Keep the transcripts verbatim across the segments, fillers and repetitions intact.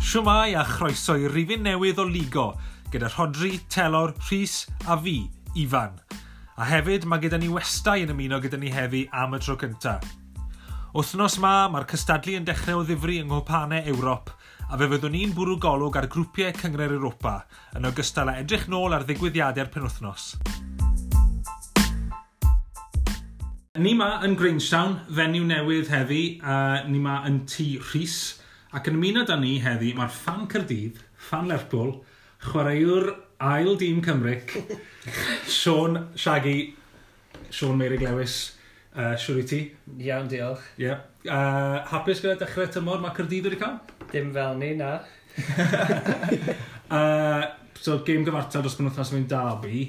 Shwmae a chroeso i rifyn newydd o Ligo, gyda Rhodri, Telor, Rhys a fi, Ifan. A hefyd mae gyda ni westai yn ymuno gyda ni heddi am y tro cyntaf. Wythnos ma, mae'r cystadlu yn dechrau o ddifri yng Nghwpanau Ewrop, a fe fyddwn ni'n bwrw golwg ar grwpiau Cynghrair Europa, yn ogystal â edrych nôl ar ddigwyddiadau'r penwythnos. Ni ma yn Grangetown, fenyw newydd heddi, a ni ma yn tŷ Rhys, ac yn ymuno da ni heddi mae'r ffan Caerdydd, ffan Lerpwl, chwaraewr ail dîm Cymric, Sean Shaggy, Sean Meirig Lewis, uh, siwr i ti? Iawn, diolch. Ie. Yeah. Uh, hapus gyda dechrau tymor mae Caerdydd wedi cael? Dim fel ni, na. uh, so, gêm gyfartal dros penwythnos yn mynd Derby.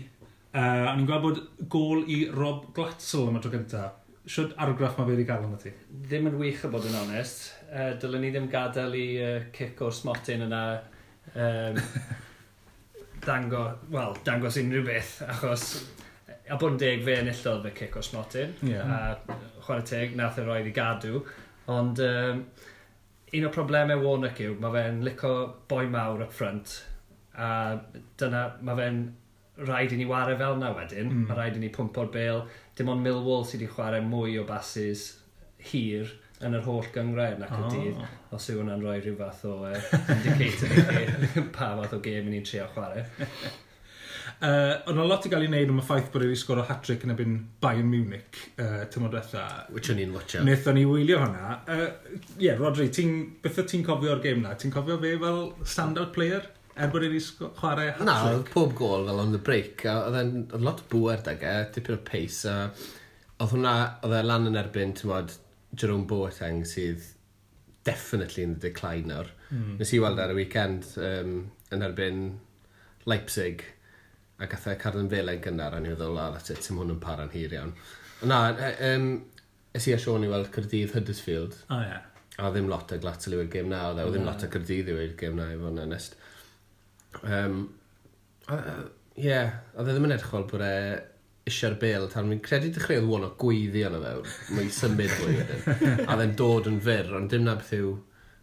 Uh, o'n i'n gweld bod gôl i Rob Glatzel am y tro gyntaf. Shwd argraff mae fe wedi cael arno ti? Ddim yn wych o bod yn onest. Uh, dylen ni ddim gadael i uh, cic o'r smotyn yna um, dango, well, dangos unrhyw beth, achos a bod yn deg fe enillodd fe cic o'r smotyn. Yeah. A chwarae teg, nath e roed i gadw. Ond um, un o'r problemau Warnock yw, mae fe'n lico boi mawr up front, a dyna, mae fe'n rhaid i ni ware fel na wedyn. Mm. Mae rhaid i ni pwmpo'r bêl. Dim ond Millwall sydd wedi chwarae mwy o bases hir yn yr holl gynghrair nac y Oh. dydd. Os yw hwnna'n rhoi rhyw fath o uh, indicator i chi pa fath o gêm i ni'n trio chwarae. Uh, Ond o lot i gael ei wneud am y ffaith bod e wedi sgoro hat-trick yn erbyn Bayern Munich uh, tymor diwetha. Which o'n i'n watcho. Wnaethon ni wylio hwnna. Ie, uh, yeah, Rodri, ti'n, beth wyt ti'n cofio o'r gêm na? Ti'n cofio fe fel stand-out player? Er bod e wedi sgo- chwarae Na, hat-trick? oedd pob gôl fel on the break, a oedd e'n oedd lot o bŵer dag e, dipyn o pace, a oedd hwnna, oedd e lan yn erbyn, ti'n mod, Jerome Boateng sydd definitely in the decline nawr. Mm. Nes i weld ar y weekend um, yn erbyn Leipzig, a gath e cardyn felen gynnar, a ni feddwl, oh, that's it, sim hwn yn para'n hir iawn. Na, um, es i a Sean i weld Caerdydd Huddersfield, O, ie. a ddim lot o Glatzel i gêm na, oedd e, oedd ddim Na. lot o Caerdydd i gêm na, i fod yn onest. Um, Ie, yeah, oedd e ddim yn edrych fel bod e eisiau'r bêl, tan fi'n credu dechreuodd Warnock gweiddi arno fe, mae'n symud fwy wedyn. A oedd e'n dod yn fyr, ond dim na beth yw,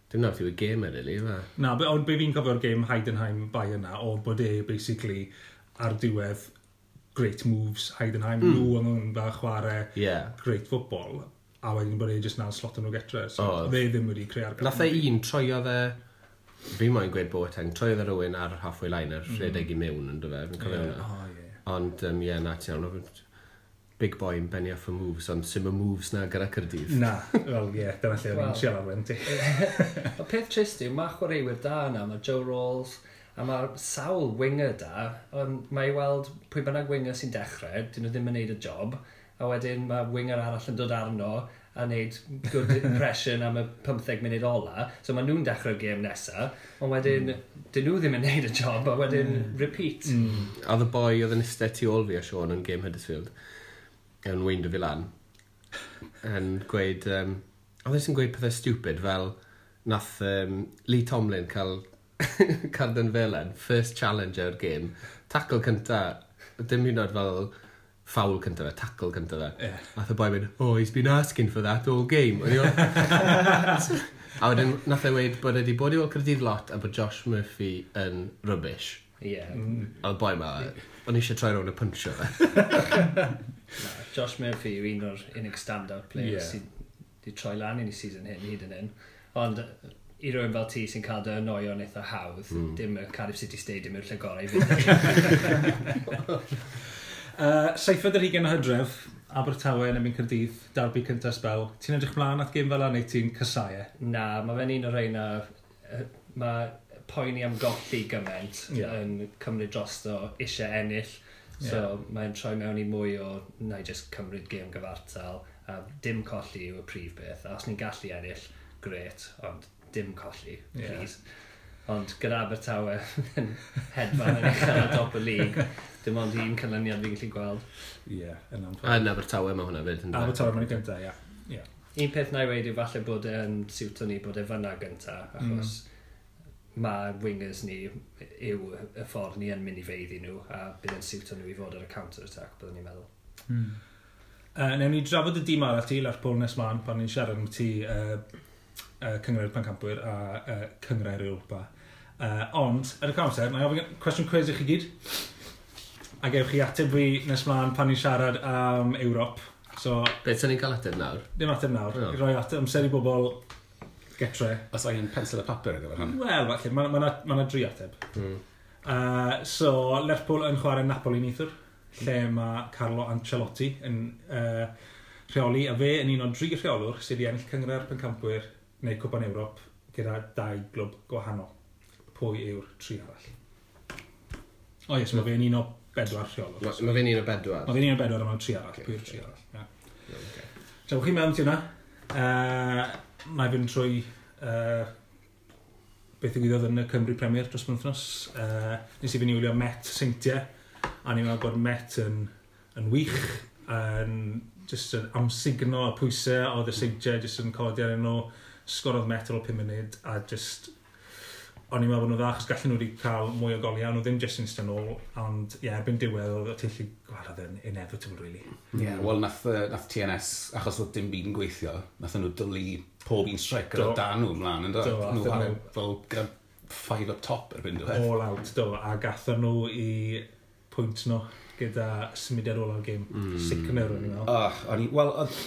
dim na beth yw y gêm e, really, yw e? Na, be, ond be fi'n cofio'r gêm Heidenheim Bayern na, oedd bod e basically ar diwedd great moves Heidenheim, mm. nhw yn yn dda chwarae Ie. great football, a wedyn bod e jyst na'n slot nhw getre. So Oedd. fe ddim wedi creu argraff. Nath e un, troiodd e, fi moyn gweud Boateng, troiodd e rhywun ar halfway line, ar rhedeg i mewn, yn fe, fi'n cofio Yeah. hwnna. Oh, yeah. Ond, um, ie, na, ti'n iawn, oedd big boy yn benni off y moves, ond sim y moves na gyda Caerdydd. Na, wel ie, yeah, dyna lle o'n i'n Wel. siarad wedyn ti. Y peth trist yw, mae chwaraewyr da yna, mae Joe Ralls, a mae sawl winger da, ond mae i weld pwy bynnag winger sy'n dechrau, dyn nhw ddim yn neud y job, a wedyn mae winger arall yn dod arno a wneud good impression am y pymtheg munud ola, so mae nhw'n dechrau'r gêm nesa, ond wedyn mm. dyn nhw ddim yn neud y job, a wedyn mm. repeat. Mm. Oedd y boi oedd yn eistedd tu ôl fi a Sean yn game Huddersfield, yn weindo fi lan, yn gweud, um, oedd e'n gweud pethau stupid fel nath um, Lee Tomlin cael cardyn felen, first challenge o'r game, tackle cynta, dim hyd yn oed fel foul cynta fe, tackle cynta fe. Ie. Nath y boi mynd, oh, he's been asking for that all game. O'n i fel- A wedyn nath e weud bod e wedi bod i weld Caerdydd lot a bod Josh Murphy yn rubbish. Ie. Yeah. Mm. A oedd boi ma, o'n i eisiau troi rownd a puncho fe. Na, Josh Murphy yw un o'r unig stand-out players Ie. yeah. sydd wedi troi lan i ni season hyn, hyd yn hyn. Ond i rywun fel ti sy'n cael dy annoio'n eitha hawdd, mm. dim y Cardiff City Stadium yw'r lle gorau i fynd. Uh, Seithfed ar hugain o Hydref, Abertawe yn erbyn Caerdydd, derby cyntaf sbel. Ti'n edrych mlaen at gêm fel 'na neu ti'n casau e? Na, mae fe'n un o'r rheina, yy, mae poeni am golli gymaint Ie. yeah. yn cymryd drosto eisiau ennill. So yeah. mae'n troi mewn i mwy o na i just cymryd gêm gyfartal a dim colli yw y prif beth. A os ni'n gallu ennill, gret, ond dim colli, Ie. please. Ond gyda Abertawe yn hedfan yn uchel ar dop y lig, dim ond un canlyniad fi'n gallu gweld. Ie, yeah, yn A anffodus. yn Abertawe mae hwnna fyd. yndyfe? Abertawe mae'n gyntaf, ie. Ie. Un peth na i weud yw falle bod e'n siwto ni bod e fyna gynta, achos mm. mae wingers ni yw y ffordd ni yn mynd i feiddi nhw, a bydd e'n siwto nhw i fod ar y counter-attack, byddwn ni'n meddwl. Mm. Uh, newn ni drafod y dîm arall ti, Lerpwl nes mlaen, pan ni'n siarad am ti uh, uh, Cynghrair Pencampwyr a uh, Cynghrair Europa. Uh, ond, ar y cyfamser, na i ofyn cwestiwn cwis i chi gyd. A gewch chi ateb fi nes mlaen pan ni'n siarad am Ewrop. So, Beth sy'n ni'n cael ateb nawr? Dim ateb nawr. No. I roi ateb amser i bobl getre. Os angen pensel a papur ar gyfer hwn. Wel, falle, mae ma, ma, ma dri ateb. Mm. Uh, so, Lerpwl yn chwarae Napoli neithiwr, lle mae Carlo Ancelotti yn uh, rheoli, a fe yn un o dri rheolwr sydd wedi ennill Cynghrair Pencampwyr neu Cwpan Ewrop gyda dau glwb gwahanol. Pwy yw'r tri arall? O yes, mae fe'n un o bedwar rheolwr. Mae ma fe'n un o bedwar. Mae fe'n un o bedwar a mae'n tri arall. Ocê, Pwy yw'r ocê. tri arall? Yeah. Okay. So, chi'n meddwl ti hwnna? Uh, na i fynd trwy uh, beth ddigwyddodd yn y Cymru Premier dros penwythnos. Uh, nes i fynd i wylio Met Seintiau, a ni'n meddwl bod Met yn, yn wych, yn just yn amsugno y pwysau oedd y Seintiau just yn codi ar nhw. Sgorodd Met ar ôl pum munud, a just o'n i'n meddwl bod nhw dda, achos gallen nhw wedi cael mwy o goliau, nhw ddim just yn eistedd nôl, ond ie, yeah, erbyn diwedd oedd y teithlu, wel, oedd yn inevitable, really. Ie, yeah, wel, nath, yy, nath T N S, achos oedd dim byd yn gweithio, nath nhw dwlu pob un striker Do. o dan nhw ymlaen, yndo? Do, Nhw athyn chwarae nhw- fel gyda five up top erbyn diwedd. All out, do, a gatho nhw i pwynt nhw gyda symudiad ola'r gêm. Mm. Sicner, o'n i'n meddwl. Oh, o'n i, wel, oedd...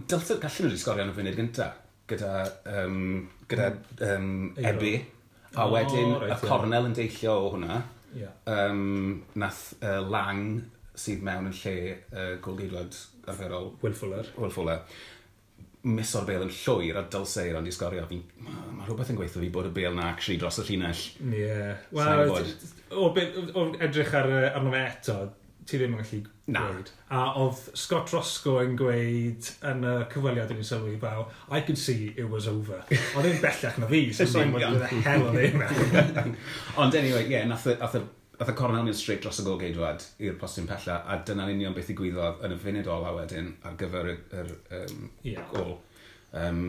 Dylse, gallen nhw wedi sgorio yn y funud gynta, gyda, um, gyda um, Eiro. Ebi. A O, wedyn, reit, y ie. cornel yn deillio o hwnna. Ie. Um, nath uh, Lang, sydd mewn yn lle uh, golgeidwad arferol, Will Fuller. Will Fuller, miso'r bêl yn llwyr a dylse Eiron di sgorio. Fi, mae ma rhywbeth yn gweithio fi bod y bêl na actually dros y llinell. Ie. Sa'n Wel, gwbod. o, be- o edrych ar, yy, arno fe eto, ti ddim yn gallu Na. gweud. A oedd Scott Roscoe yn gweud yn y cyfweliad yn ei sylwi fel, "I could see it was over." Oedd e'n bellach na fi, so sa'n gwybod the hell oedd e'n meddwl. Ond anyway, ie, yeah, nath, y- nath, y- nath y cornel mynd straight dros y golgeidwad i'r postyn pella, a dyna'n union beth ddigwyddodd yn y funud ola wedyn ar gyfer y, yr um, Ie. gol. Um,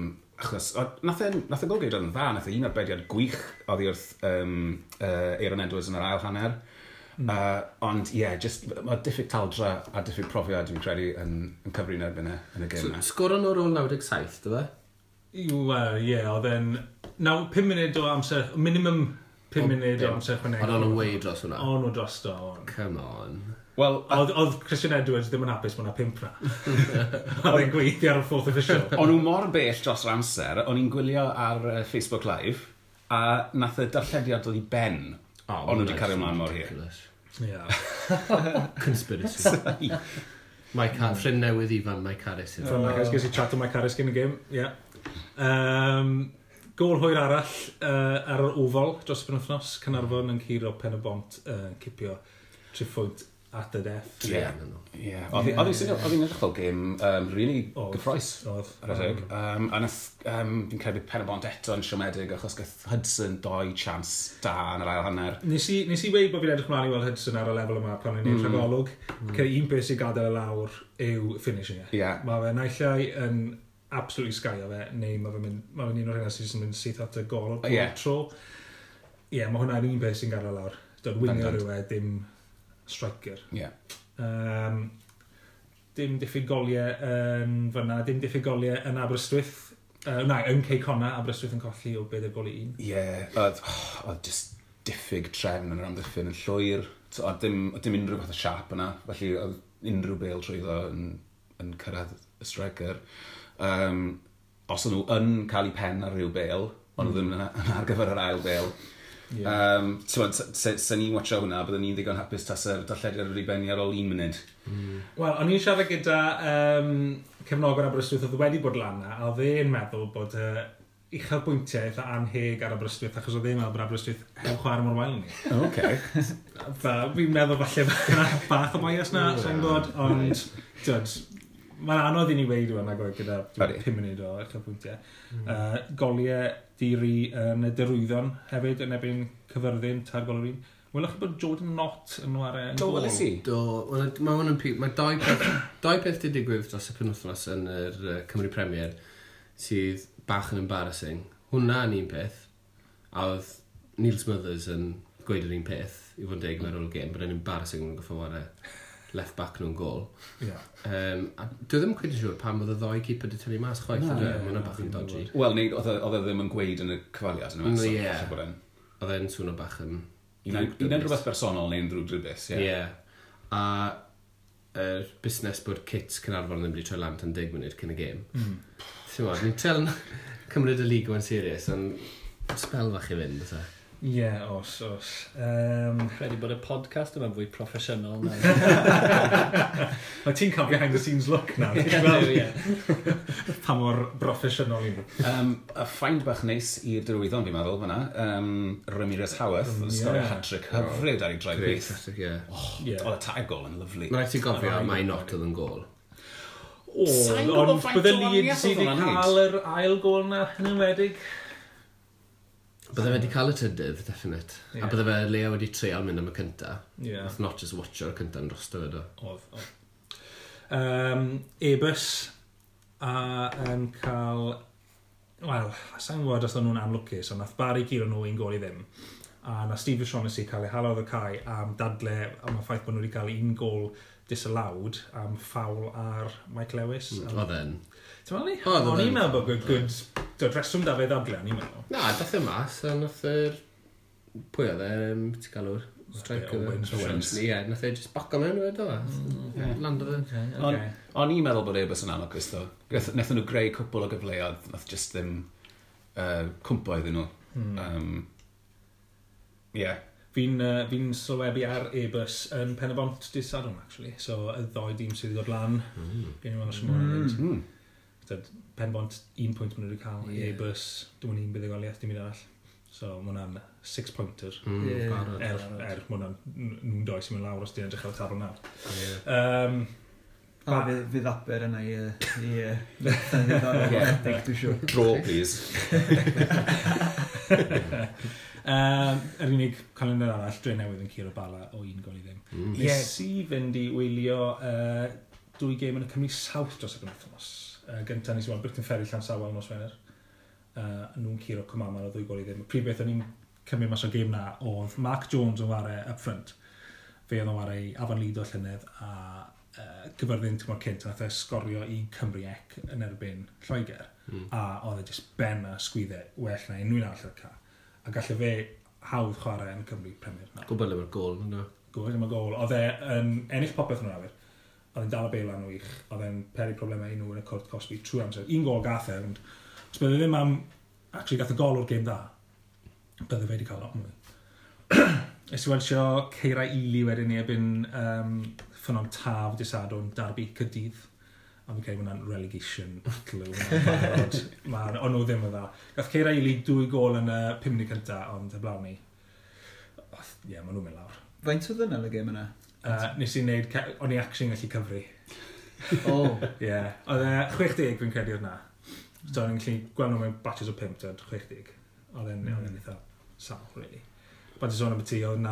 achos, o, nath, e, nath y golgeidwad yn dda, nath e un arbediad gwych oddi wrth um, uh, Aaron Edwards yn yr ail hanner. Mm. Uh, ond ie, yeah, just, mae diffyg taldra a diffyg profiad dwi'n credu yn, yn cyfri'n erbyn e yn y gêm So, yna. sgoro nhw ar ôl naw deg saith, dy fe? Wel, ie, oedd e'n... Naw, pum munud o amser, minimum pum O, munud o bum. amser chwanegol. Ond o'n nhw way dros hwnna. O'n nhw drosto, o'n. Come on. Wel, a- Oedd, oedd Christian Edwards ddim yn hapus bod 'na pump na. Oedd e'n gweithio ar y fourth official. O'n nhw mor bell dros yr amser, o'n i'n gwylio ar uh, Facebook Live, a nath y darllediad dod i ben. Oh, o'n nhw wedi cario ymlaen mor hir. Ridiculous. Ie. Conspiracy. Mike Har ffrind newydd Ifan, Mike Harris. From Mike Harris, ges i chat o Mike Harris cyn y gêm, ie. Um, gol hwyr arall uh, ar yr Oval dros y penwythnos, Caernarfon yn curo Pen y Bont uh, cipio triphwynt at the death. Ie. Ie. Ie. Oedd hi- oedd hi'n swnio- oedd hi'n edrych fel gêm um, really Oedd. gyffrous. Oedd. Ar y teg. Um, a nath, um, fi'n credu Pen y Bont eto yn siomedig achos gath Hudson doi chance da yn yr ail hanner. Nes i, nes i weud bod fi'n edrych mlaen i weld Hudson ar y lefel yma pan o'n i'n mm. rhagolwg. Mm. Un peth sy'n gadael e lawr yw finishing e. Ie. Mae fe naill ai yn absolutely sgaio fe, neu mae fe'n mynd, mae fe'n un o'r rheina sy'n jyst yn mynd syth at y gol o'r Ie. tro. Ie, yeah, mae hwnna'n un peth sy'n gadael e lawr. Dod winger Bendant. yw e, dim striker. Ie. Um, dim diffyg goliau yn fyna, dim diffyg goliau yn Aberystwyth. Uh, na, yn Cei Connah, Aberystwyth yn colli o bedair gol i un. Ie, oedd, oh, oedd just diffyg trefn yn yr amddiffyn yn llwyr. So, oedd dim, oedd dim unrhyw fath o siap yna, felly oedd unrhyw bêl trwyddo yn, yn cyrraedd y striker. Um, os o'n nhw yn cael eu pen ar ryw bêl, ond nhw ddim yna yna ar gyfer yr ail bêl. Yeah. Um, T'mod, se, se, se ni'n watcho hwnna, byddwn ni'n ddigon hapus tase'r darllediad wedi benni ar ôl un munud. Wel, o'n i'n siarad gyda um, cefnogwr Aberystwyth oedd wedi bod lan na, a oedd e'n meddwl bod uh, uchelbwyntiau eitha anheg ar Aberystwyth, achos oedd e'n meddwl bod Aberystwyth heb chwarae mor wael ni. Okay. Fa, fi'n meddwl falle bach o bias na, sa'n gwybod, ond, t'wod, mae'n anodd i ni weud yw nag oedd gyda Ydi. pum munud o uchelbwyntiau. Mm. Uh, goliau diri yn y Derwyddon hefyd yn erbyn Caerfyrddin, tair gol yr un. Welwch chi bod Jordan Knott yn chwarae yn Do, gôl? weles i. Do, wel, mae hwn yn pi- Mae dau peth, dau peth di digwydd dros y penwythnos yn yr uh, Cymru Premier sydd bach yn embarrassing. Hwnna yn un peth, a oedd Neil Smothers yn gweud yr un peth, i fod yn deg mewn ôl gêm, bod e'n embarrassing yn goffo ware left back nhw'n gol. Yeah. Um, a dwi ddim cweit yn siŵr pam oedd y ddoi keeper di tynnu mas chwaith. Na, ydw e? ie, Mae hwnna na, bach yn fi'n dodgy. Wel, neu oedd e oedd e ddim yn gweud yn y cyfweliad yn Mm, y ie. falle bod e'n Oedd e'n swnio bach yn... Un un rhywbeth bersonol neu'n ddrwg drybus, ie. Ie. A yr busnes bod kits Caernarfon ddim wedi troi lan tan deg munud cyn y gêm. Mm. Ti'n gwbod, ni'n trial cymryd y lig yma'n serious, ond spel fach i fynd, oes e? Ie, yeah, os, os. Um, Credu bod y podcast yma'n fwy proffesiynol na. Mae ti'n cael behind the scenes look nawr. Ti'n gweld Ie. pa mor broffesiynol i ni. Um, a find bach neis i'r derwyddon, fi'n meddwl, fyna. Um, Ramirez Howarth, Mm, mm, sgorio ie. hat-trick hyfryd ar ei draed Great, chwith. hat-trick, ie. Ie. Oedd y tair gol yn lyfli. Mae'n rhaid ti gofio mai not oedd yn gol. O, Sa'n gwbod ond faint bydde o Leeds wahaniaeth wedi oedd hwnna'n neud? cael yr ail gol na yn enwedig. Bydde fe wedi cael y trydydd, definite. Ie. A bydde fe Leo wedi treial mynd am y cynta. Ie. Nath not just watcho'r cynta yn drosto fe, do. Oedd, oedd. Um, Ebus a yn cael... Wel, sa'n gwybod os o'n nhw'n anlwcus, ond nath Barry guro nhw un gol i ddim. A na Steve O'Shaughnessy cael ei hala o'r cae am dadle am y ffaith bod nhw wedi cael un gol disallowed am ffawl ar Mike Lewis. Mm, Am- Oedd e'n. Ti'n meddwl ni? Oedd, oedd O'n i'n e'n. meddwl bod good, good, dod reswm da fe ddadle, o'n i'n meddwl. Na, dath e mas, a nath yr... Pwy oedd e, um, ti'n galw'r? Striker. Owens. Owens. Ie, nath e just baco mewn o fe, do. Ie. Lando fe. Okay, O'n o'n i'n meddwl bod Airbus yn anlwcus, ddo. Nath- Nathon nhw greu cwpl o gyfleoedd, nath just ddim uh, cwmpo iddyn nhw. Hmm. Um, yeah. Fi'n uh, fi sylwebu ar Airbus yn Pen y Bont dydd Sadwrn, actually. So, y ddoi dîm sydd wedi dod lan. Mm. Gen i weld os mm. Mm. Mm. Pen Bont, un pwynt maen nhw wedi cael. Ie. Yeah. Airbus, dim ond un buddugoliaeth, dim un arall. So, mae hwnna'n six pointer. Mm, Ie. barod. Er, er, mae hwnna'n nhw'n doi sy'n mynd lawr os ti'n edrych ar y tabl nawr. Ie. Um, A fydd, fydd Aber yna i... yy, i yy, ddiddorol Ie. ychydig, dwi'n siŵr. Draw, please. um, yr unig calendar arall, Dre Newydd yn curo Bala o un gol i ddim. Mm. Nes i fynd i wylio uh, dwy gêm yn y Cymru South dros y penwythnos. Uh, gyntaf nes i weld Briton Ferry Llansawel nos Wener. Uh, nhw'n curo Cwmaman o ddwy gol i ddim. Y prif beth o'n i'n cymryd mas o'r gêm na oedd Mark Jones yn ware up front. Fe oedd yn ware i Afan Lido llynedd a uh, Gyfyrddin tymor cynt. Nath e sgorio i Cymru ec yn erbyn Lloegr. Mm. A oedd e just ben a sgwyddau well na unrhyw un arall ar y ca. A galle fe hawdd chwarae yn Cymru Premier nawr. Gwybod le mae'r gol, ynddo. Gwybod am y gol. Oedd e yn ennill popeth yn yr awyr. Oedd e'n dal y bêl lan wych. Oedd e'n peri problemau i nhw yn y cwrt cosbi trwy amser. Un gol gath e, ond os bydde ddim am... Actually, gath y gol o'r gêm dda. Bydde fe wedi cael lot mwy. Nes i weld Ceira Ely wedyn ni erbyn um, Ffynnon Taf dydd Sadwrn, Derby Caerdydd. A fi'n credu hwnna'n relegation battle yw hwnna'n barod. Ma- O'n nhw ddim yn dda. Gath Ceira Ely dwy gol yn y pum munud cynta, ond heblaw ni. Ie, yeah, maen nhw'n mynd lawr. Faint oedd yna yn y gêm yna? Uh, nes i wneud, ce- o'n i actually yn gallu cyfri. O, Ie. Yeah. Oedd e chwech deg fi'n credu oedd na. So o'n i'n gallu gweld nhw mewn batches o pump, tyd, chwech deg. Oedd e'n oedd e'n eitha sal, really. But i sôn am y ti, oedd na,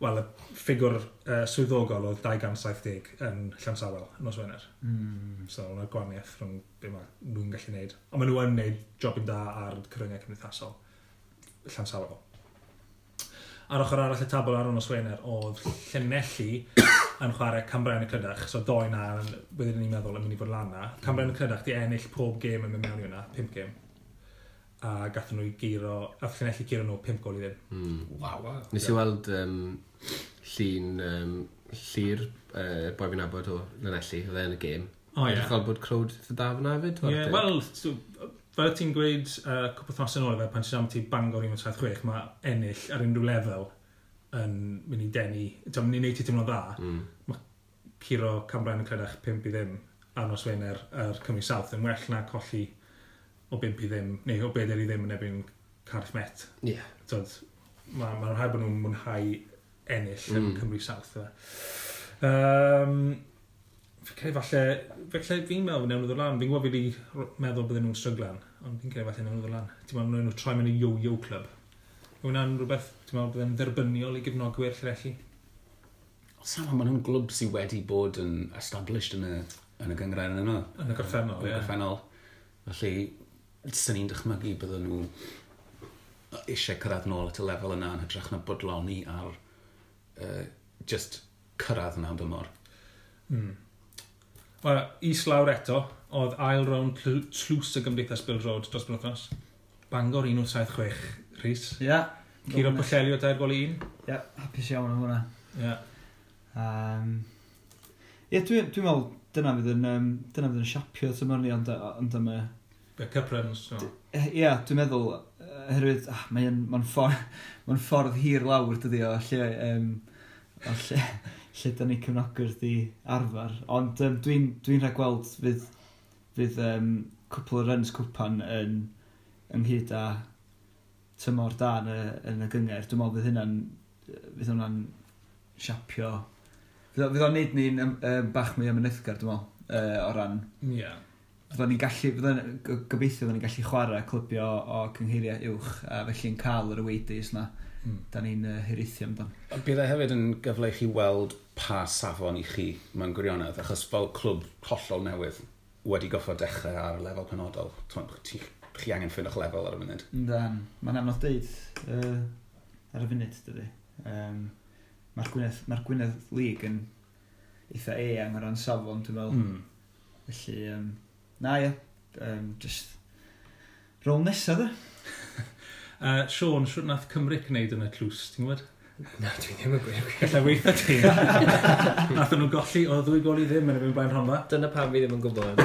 wel, y ffigwr uh, swyddogol oedd dau gant saith deg yn Llansawel, nos Wener. mm. So, oedd 'na gwahaniaeth rhwng be mae nhw'n gallu neud. Ond maen nhw yn neud jobyn da ar cyfryngau cymdeithasol. Llansawel. Ar ochr arall y tabl ar y nos Wener oedd Llanelli yn chwarae Cambrian y Clydach. So doi na, wedyn ni'n meddwl, yn mynd i fod lan na. Cambrian y Clydach di ennill pob gêm yn mynd mewn i hwnna, pump gêm. A gathen nhw i guro, a Llanelli guro nhw pump gol i ddim. Mm. Waw. Wow. Nes i weld um, llun um, Llyr, uh, boi fi'n nabod o Llanelli, oedd e yn y gêm. O ie. Edrych fel bod crowd eitha da fyna hefyd. Ie, wel, so, fel ti'n gweud uh, cwpl wythnos yn ôl, fe, pan ti'n am ti Bangor un saith chwech, mae ennill ar unrhyw lefel yn mynd i denu, ti'n mynd i wneud ti teimlo'n dda, Mm. curo Cambrian y Clydach pump i ddim ar nos Wener ar Cymru South yn well na colli o bump i ddim, neu o bedair i ddim yn erbyn Cardiff Met. Ie. Tyd, mae ma rhaid bod nhw'n mwynhau ennill mm. yn Mm. Cymru South. Fe. Um, fi'n credu falle, falle fi'n meddwl newn nhw ddod lan. Fi'n gwybod fi wedi r- meddwl bydden nhw'n stryglan, ond fi'n credu falle newn nhw ddod lan. Ti'n meddwl newn nhw troi mewn i yo-yo club. Yw hwnna'n rhywbeth, ti'n meddwl bydde'n dderbyniol i gefnogwyr Llanelli? Sam, maen nhw'n glwb sydd wedi bod yn established yn y, yn y gynghrair yn yno. Yn y gorffennol, Yn y ie. gorffennol. Felly, sy'n ni'n dychmygu bydden nhw eisiau cyrraedd nôl at y lefel yna yn hytrach na bodloni ar uh, just cyrraedd yna am dymor. Mm. Wel, islawr eto, oedd ail rownd tlws y Gymdeithas Bêl-droed dros penwythnos. Bangor un wyth saith chwech, Rhys. Ie. Yeah. Curo Pwllheli o dair gol i un. Ie, yeah, hapus iawn am hwnna. Ie. Yeah. Um, Ie, dwi'n dwi meddwl dyna fydd yn, um, dyna fydd yn siapio tymor ni, ond, ond am y... Y cup runs, no. Ie, yeah, dwi'n meddwl, oherwydd, ah, mae'n ma ffordd, ma ffordd hir lawr, dydy o, lle, um, o lle, lle da ni cefnogwyr di arfer. Ond um, dwi'n dwi rhagweld fydd, fydd um, cwpl o runs cwpan yn, ynghyd â tymor da yn y, yn y gynghrair. Dwi'n meddwl fydd hynna'n, fydd hwnna'n siapio. Fydd o- fydd o'n neud ni'n um, um, bach mwy amyneddgar, dwi'n meddwl, uh, o ran Ie. Yeah. Fyddwn ni'n gallu, fyddwn, go- gobeithio fyddwn ni'n gallu chwarae clybio o cynghreiriau uwch, a felly'n cael yr away days na, Mm. da ni'n uh, hiraethu amdan. Ond bydd e hefyd yn gyfle i chi weld pa safon i chi mewn gwirionedd, achos fel clwb hollol newydd wedi goffod dechrau ar lefel penodol. T'mod, Chi, chi angen ffeindo'ch lefel ar y munud. Yndan, mae'n anodd deud uh, ar y funud, dydy. Um, Mae'r Gwynedd, mae'r Gwynedd League yn eitha eang o ran safon, dwi'n meddwl. Mm. Felly, um, na ie, um, just rôl nesaf, de. Uh, Sean, siwt nath Cymru gwneud yn y tlws, ti'n gwybod? Na, dwi ddim yn gwybod. Gallai weithio ti. Nath nhw golli o ddwy gol i ddim yn erbyn Blaen Rhondda. Dyna pam fi ddim yn gwybod.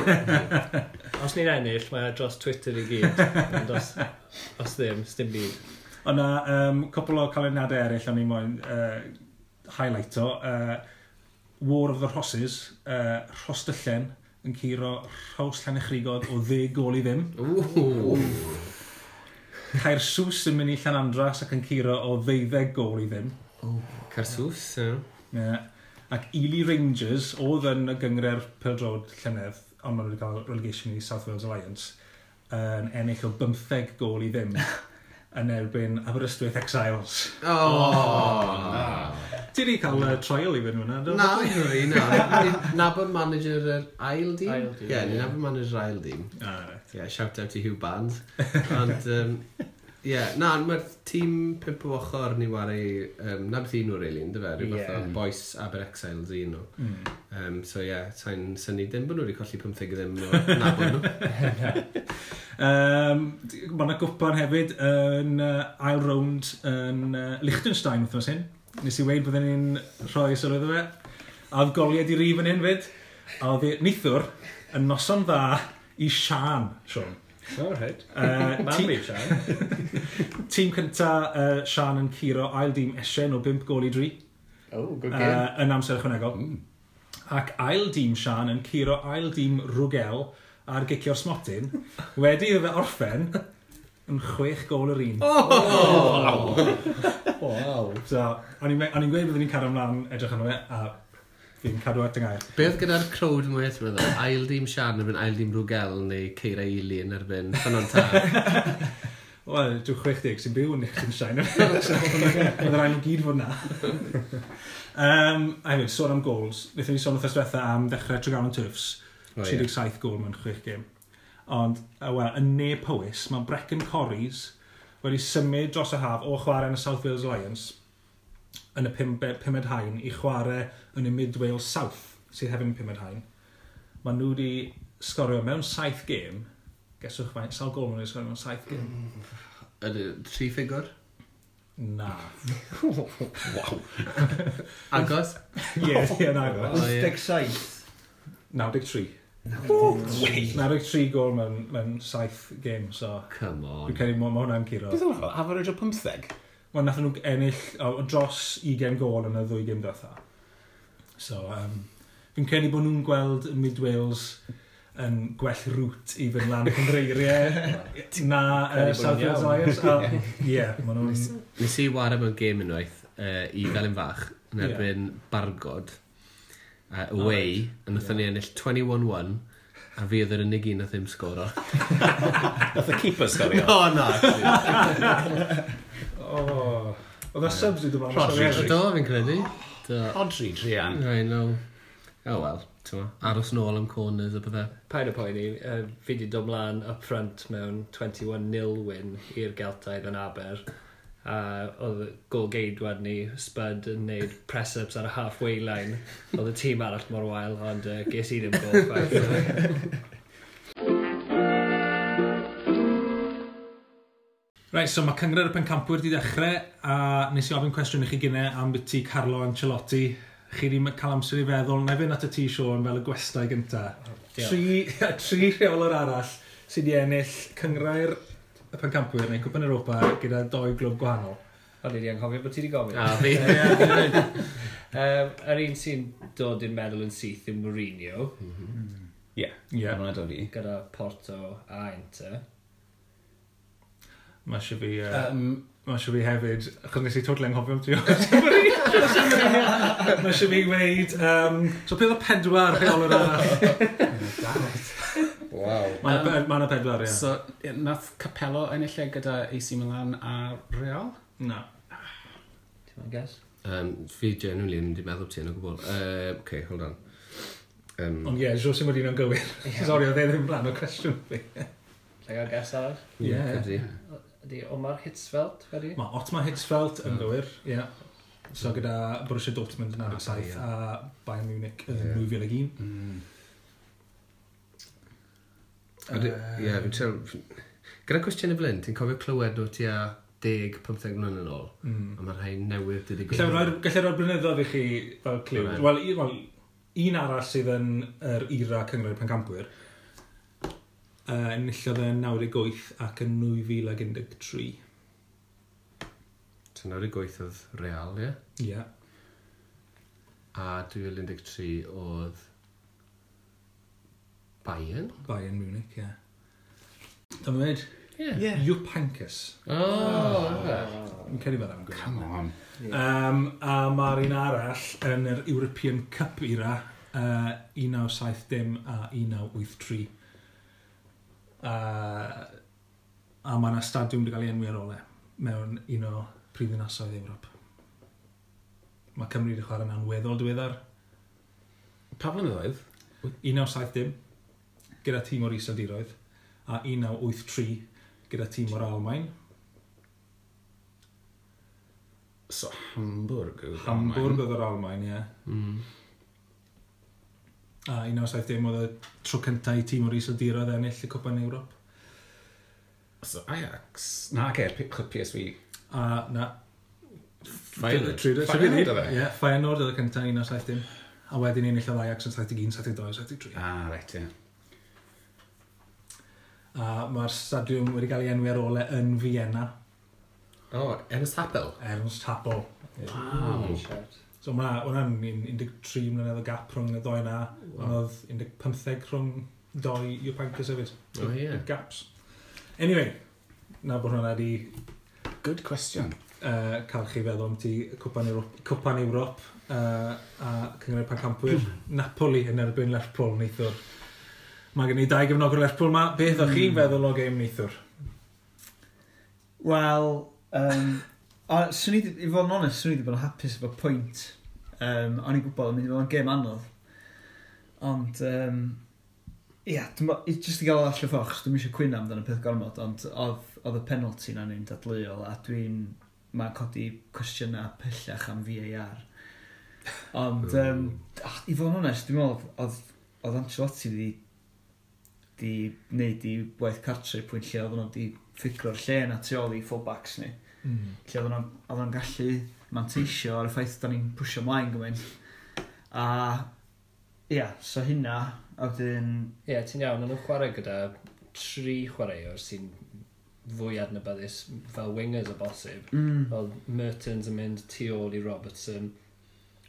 Os ni'n ennill, mae e dros Twitter i gyd. Ond os, os ddim, sdim byd. Ond na, um, cwpl o canlyniadau eraill o'n i moyn uh, highlighto. Uh, War of the Rhosses, uh, Rhostyllen yn curo Rhos Llanuwchllyn o ddeg gol i ddim. Ww. Caersws yn mynd i Llanandras ac yn curo o ddeuddeg gol i ddim. Caersws, ie. Yeah. Ac Ely Rangers oedd yn y gynghrair pêl-droed llynedd, ond maen nhw wedi cael relegation i South Wales Alliance, yn ennill o bymtheg gol i ddim yn erbyn Aberystwyth Exiles. Oh. Ti wedi cael uh, trial i fynd hwnna, do? Na, fi, na. Ni'n nabod manager yr ail dîm? Ail dîm, Ie, ni'n ie. nabod manager yr ail dîm. Ah, right. Yeah, shout out to Hugh Barnes. Ond, um, yeah, na, mae'r tîm pump o ochr ni wario, um, na beth un nhw, really, ynddo fe? Rhyw fath o Ie. boys Aber Exiles un nhw. Mm. Um, so, yeah, sa'n synnu dim bod nhw wedi colli pymtheg i ddim o nabod nhw. Um, mae yna gwpan hefyd yn uh, ail rownd yn uh, Liechtenstein wythnos hyn. Nes i weud bydden ni'n rhoi sylw iddo fe. A oedd goliau di rif yn hyn fyd. A oedd hi neithiwr yn noson dda i Sian, Sean. O, reit. Uh, Mam tîm, fi, Sian. tîm cynta uh, Sian yn curo ail dîm Esien o bump gol i dri Oh, good game. uh, yn amser ychwanegol. Mm. Ac ail dîm Sian yn curo ail dîm Rwgel ar gicio'r smotyn wedi iddo fe orffen yn chwech gol yr un. Oh! Wow. So, o'n i'n o'n i'n gweud byddwn ni'n cario ymlaen edrych arno fe, a fi'n cadw at y gair. Be oedd gyda'r crowd mwy ti'n meddwl? Ail dîm Sian yn erbyn ail dîm Rwgel neu Ceira Ili yn erbyn Ffynnon Taf? Wel, dwi'n chwech deg sy'n byw yn Liechtenstein. Oedd yr rhaid nhw gyd fod na. um, a hefyd, sôn am goals. Wnaethon ni sôn wrth diwetha am ddechrau Tregaron Turfs. O, ie. tri deg saith gol mewn chwech gêm. Ond, uh, wel, yn Ne Powys, mae Brecon Corries wedi symud dros y haf o chwarae yn y South Wales Alliance yn y pum, pumed haen i chwarae yn y Mid Wales South, sydd hefyd yn pumed haen. Mae nhw wedi sgorio mewn saith gêm. Geswch faint, sawl gol maen nhw wedi sgorio mewn saith gêm? Ydy, tri ffigwr? Na. Waw. Agos? Ie, ie, na go. O, ie. wyth deg saith. naw deg tri. naw deg tri gol mewn, mewn saith gêm, so Come on. dwi'n credu ma, ma hwnna'n curo. Beth oedd hwnna? Average o pymtheg? Wel, nath nhw ennill o, dros ugain gol yn y ddwy gêm diwetha. So, um, fi'n credu bod nhw'n gweld y Mid Wales yn gwell route i fynd lan y cynghreiriau na uh, Credu bod South nhw'n Wales iawn. Alliance. A, Ie, yeah, maen nhw'n... Nes i ware mewn gêm unwaith uh, i Felin Fach yn Ie. erbyn Bargod uh, away, a wnaethon ni ennill twenty-one one a fi oedd yr unig un nath ddim sgoro. Nath y keeper sgorio. O, na, actually. Oh, oedd y subs wedi dod Rodri. ymlaen. Do, fi'n credu. Do. Rodri, druan. I know. Oh well, ti'n mo, aros nôl am corners a bydde. Paid o poeni, uh, fi di dod mlaen up front mewn twenty-one nil win i'r Geltaidd yn Aber. A oedd golgeidwad ni, Spud, yn neud press-ups ar y halfway line. Oedd y tîm arall mor wael, ond uh, ges i ddim gol chwaith. Right, so mae Cynghrair y Pencampwyr wedi dechrau, a nes i ofyn cwestiwn i chi gynnau am byti Carlo Ancelotti. Chi wedi cael amser i feddwl, na i fynd at y ti, Siôn, fel y gwestai gynta. Tri, tri rheolwr arall sydd wedi ennill Cynghrair y Pencampwyr neu Cwpan Europa gyda doi glwb gwahanol. O'n i wedi anghofio bod ti wedi gofyn. A fi. um, yr un sy'n dod i'r meddwl yn syth yw Mourinho. Ie, Ie. hwnna dod i. Gyda Porto a Inter. Mae eisiau fi, uh, Um, mae eisiau fi hefyd, achos nes i totally anghofio am ti. Mae eisiau fi weud, um, so beth oedd pedwar rheolwr arall? Wow. Mae yna ma pedwar, ie. So, ie, nath Capello ennill e gyda A C Milan a Real? Na. Ti'n mynd guess? Um, fi genuinely yn mynd i meddwl ti yn o gwbl. Uh, okay, hold on. Um, Ond ie, Jose Mourinho'n gywir. Sori, oedd e ddim rhan o cwestiwn fi. Lle gael guess arall? Ie. Cymru. Ydy Omar Hitzfeld, wedi? Mae Otmar Hitzfeld yn gywir, ie. So gyda Borussia Dortmund yn naw deg saith Ie. a Bayern Munich yn Ie. dwy fil ag un. Mm. Ydy- Ie, fi'n trio... Gyda cwestiwn y fel hyn, ti'n cofio clywed nhw tua deg, pymtheg mlynedd yn ôl? Mm. A mae rhai newydd wedi Gallai roi'r gallai roi'r blynyddoedd i chi fel cliw. Alright. Wel, un, wel, un arall sydd yn yr era Cynghrair Pencampwyr, uh, enillodd e yn naw deg wyth ac yn nwy fil ag un deg tri. So naw deg wyth oedd Real, ie? Ie. A dwy fil un deg tri oedd Bayern? Bayern Munich, ie. Dyma dweud, Ie. Ie. Jupp Heynckes. Oh, Fi'n credu fel am gwir. Come on. Um, a mae'r un arall yn yr European Cup era, uh, un naw saith dim a un naw wyth tri. Uh, a mae yna stadiwm wedi cael ei enwi ar ôl e, mewn un o prifddinasoedd Ewrop. Mae Cymru wedi chwarae mewn weddol diweddar. Pa flynyddoedd? un naw saith dim, gyda tîm o'r Iseldiroedd, a un naw wyth tri gyda tîm o'r Almaen. So, Hamburg. oedd Hamburg Almaen. oedd yr Almaen, ie. Mm. A un naw saith dim oedd y tro cyntaf i tîm o'r Iseldiroedd ennill y Cwpan Ewrop. So, Ajax. Na, oce, P- P S V. A na. Feyenoord. Feyenoord oedd e? Ie, Feyenoord oedd y cyntaf un naw saith dim. A wedyn enillodd Ajax yn saith deg un, saith deg dau, saith deg tri. Ah, reit, ie. A mae'r stadiwm wedi cael ei enwi ar ôl e yn Vienna. Oh, Ernst Happel. Ernst Happel. Wow. Shout. So mae hwnna'n un deg tri mlynedd o gap rhwng y ddoi na. Wow. Ond oedd un deg pymtheg rhwng doi Jupp Heynckes hefyd. Oh, ie. Big gaps. Anyway, na bod hwnna wedi Good question. uh, cael chi feddwl am ti Cwpan Ewrop, Cwpan Ewrop uh, a Cynghrair Pencampwyr. Napoli yn erbyn Lerpwl neithwr. Mae gen i dau gefnogwr Lerpwl ma. Beth o'ch chi'n feddwl o gêm neithwr? Wel, um, o, swn i, 'di- i fod yn onest, swn i wedi bod yn hapus efo pwynt. Um, o'n i'n gwybod yn mynd i fod yn gêm anodd. Ond, um, ia, yeah, jyst i gael o allan o ffordd, achos dwi'm eisiau cwyno amdano peth gormod, ond oedd, oedd y penalty na'n un dadleuol, a dwi'n, mae'n codi cwestiynau pellach am V A R. Ond, um, ah, i fod yn onest, dwi'n meddwl, oedd, oedd Ancelotti wedi di wneud i waith cartre i'r pwynt lle oedden nhw wedi ffigro'r lle na tu ôl i fullbacks ni. Mm. Lle oedden nhw- oedden nhw'n gallu manteisio ar y ffaith da ni'n pwysio mlaen gymaint. A ia, so hynna, a wedyn... Ie, yeah, ti'n iawn, o'n nhw'n chwarae gyda tri chwaraewr sy'n fwy adnabyddus fel wingers o bosib. Mm, Oedd Mertens yn mynd tu ôl i Robertson,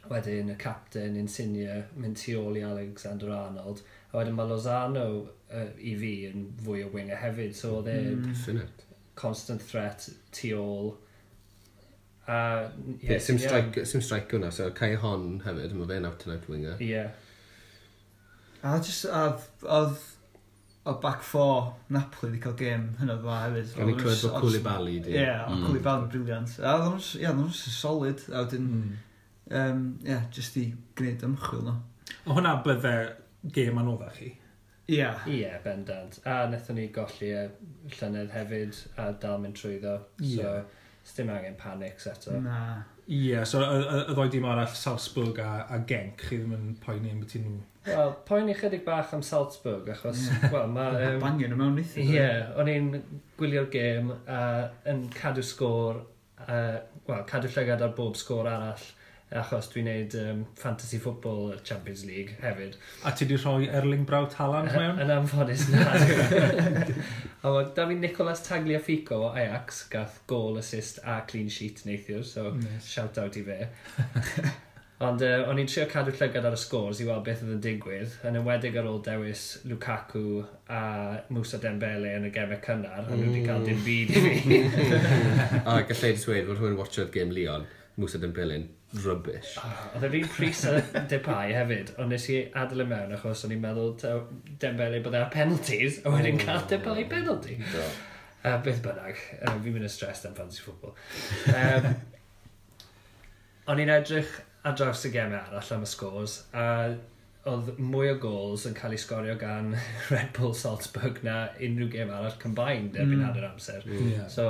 wedyn y captain Insigne mynd tu ôl i Alexander Arnold, a wedyn mae Lozano uh, i fi yn fwy o winger hefyd, so oedd e mm, Definite. constant threat tu ôl. A, Ie, yeah, sim strike, sim strike hwnna, so Callejon hefyd, mae fe'n out and out winger. Ie. Yeah. A just, oedd, oedd, oedd back four Napoli wedi cael gêm hynod dda hefyd. O'n i'n clywed bod Koulibaly di. Ie, oedd Mm. Koulibaly yn brilliant. A oedden nhw'n, ie, oedden nhw'n solid, a wedyn, Mm. um, ie, just i gwneud ymchwil nhw. O hwnna bydde gêm anoddach chi. Ie. Ie, yeah, bendant. A wnaethon ni golli y llynedd hefyd a dal mynd trwyddo. Ie. So, Dim angen panics eto. Na. Ie, yeah, so y, y, y ddoi dîm arall, Salzburg a, a Genk, chi ddim yn poeni am beth nhw. Wel, poeni chydig bach am Salzburg, achos, Ie. wel, mae... Um, Bangio nhw mewn neithiwr. Ie, yeah, o'n i'n gwylio'r gêm a yn cadw sgôr, uh, wel, cadw llygad ar bob sgôr arall, achos dwi'n neud um, Fantasy Football Champions League hefyd. A ti di rhoi Erling Braut Haaland mewn? Yn anffodus na. A mae da fi Nicolas Tagliafico o Ajax, gath goal, assist a clean sheet neithiwr, so Nice. shout out i fe. Ond uh, o'n i'n trio cadw llygad ar y scores i weld beth oedd yn digwydd, yn enwedig ar ôl dewis Lukaku a Moussa Dembele yn y gemau cynnar, a nhw wedi cael dim byd i fi. A gallai jyst dweud fod rhywun watchodd game Lyon, Moussa Dembele'n rubbish. Oh, oedd e'r un pris a Depay hefyd, ond nes i adael e mewn achos o'n i'n meddwl taw Dembele bod e ar penalties, a wedyn cael Depay penalty. Do. Uh, beth bynnag, uh, fi'n mynd yn stressed am fantasy football. Um, o'n i'n edrych ar draws y gemau arall am y scores, a oedd mwy o goals yn cael ei sgorio gan Red Bull Salzburg na unrhyw gêm arall combined erbyn Mm. hanner amser. Yeah. So,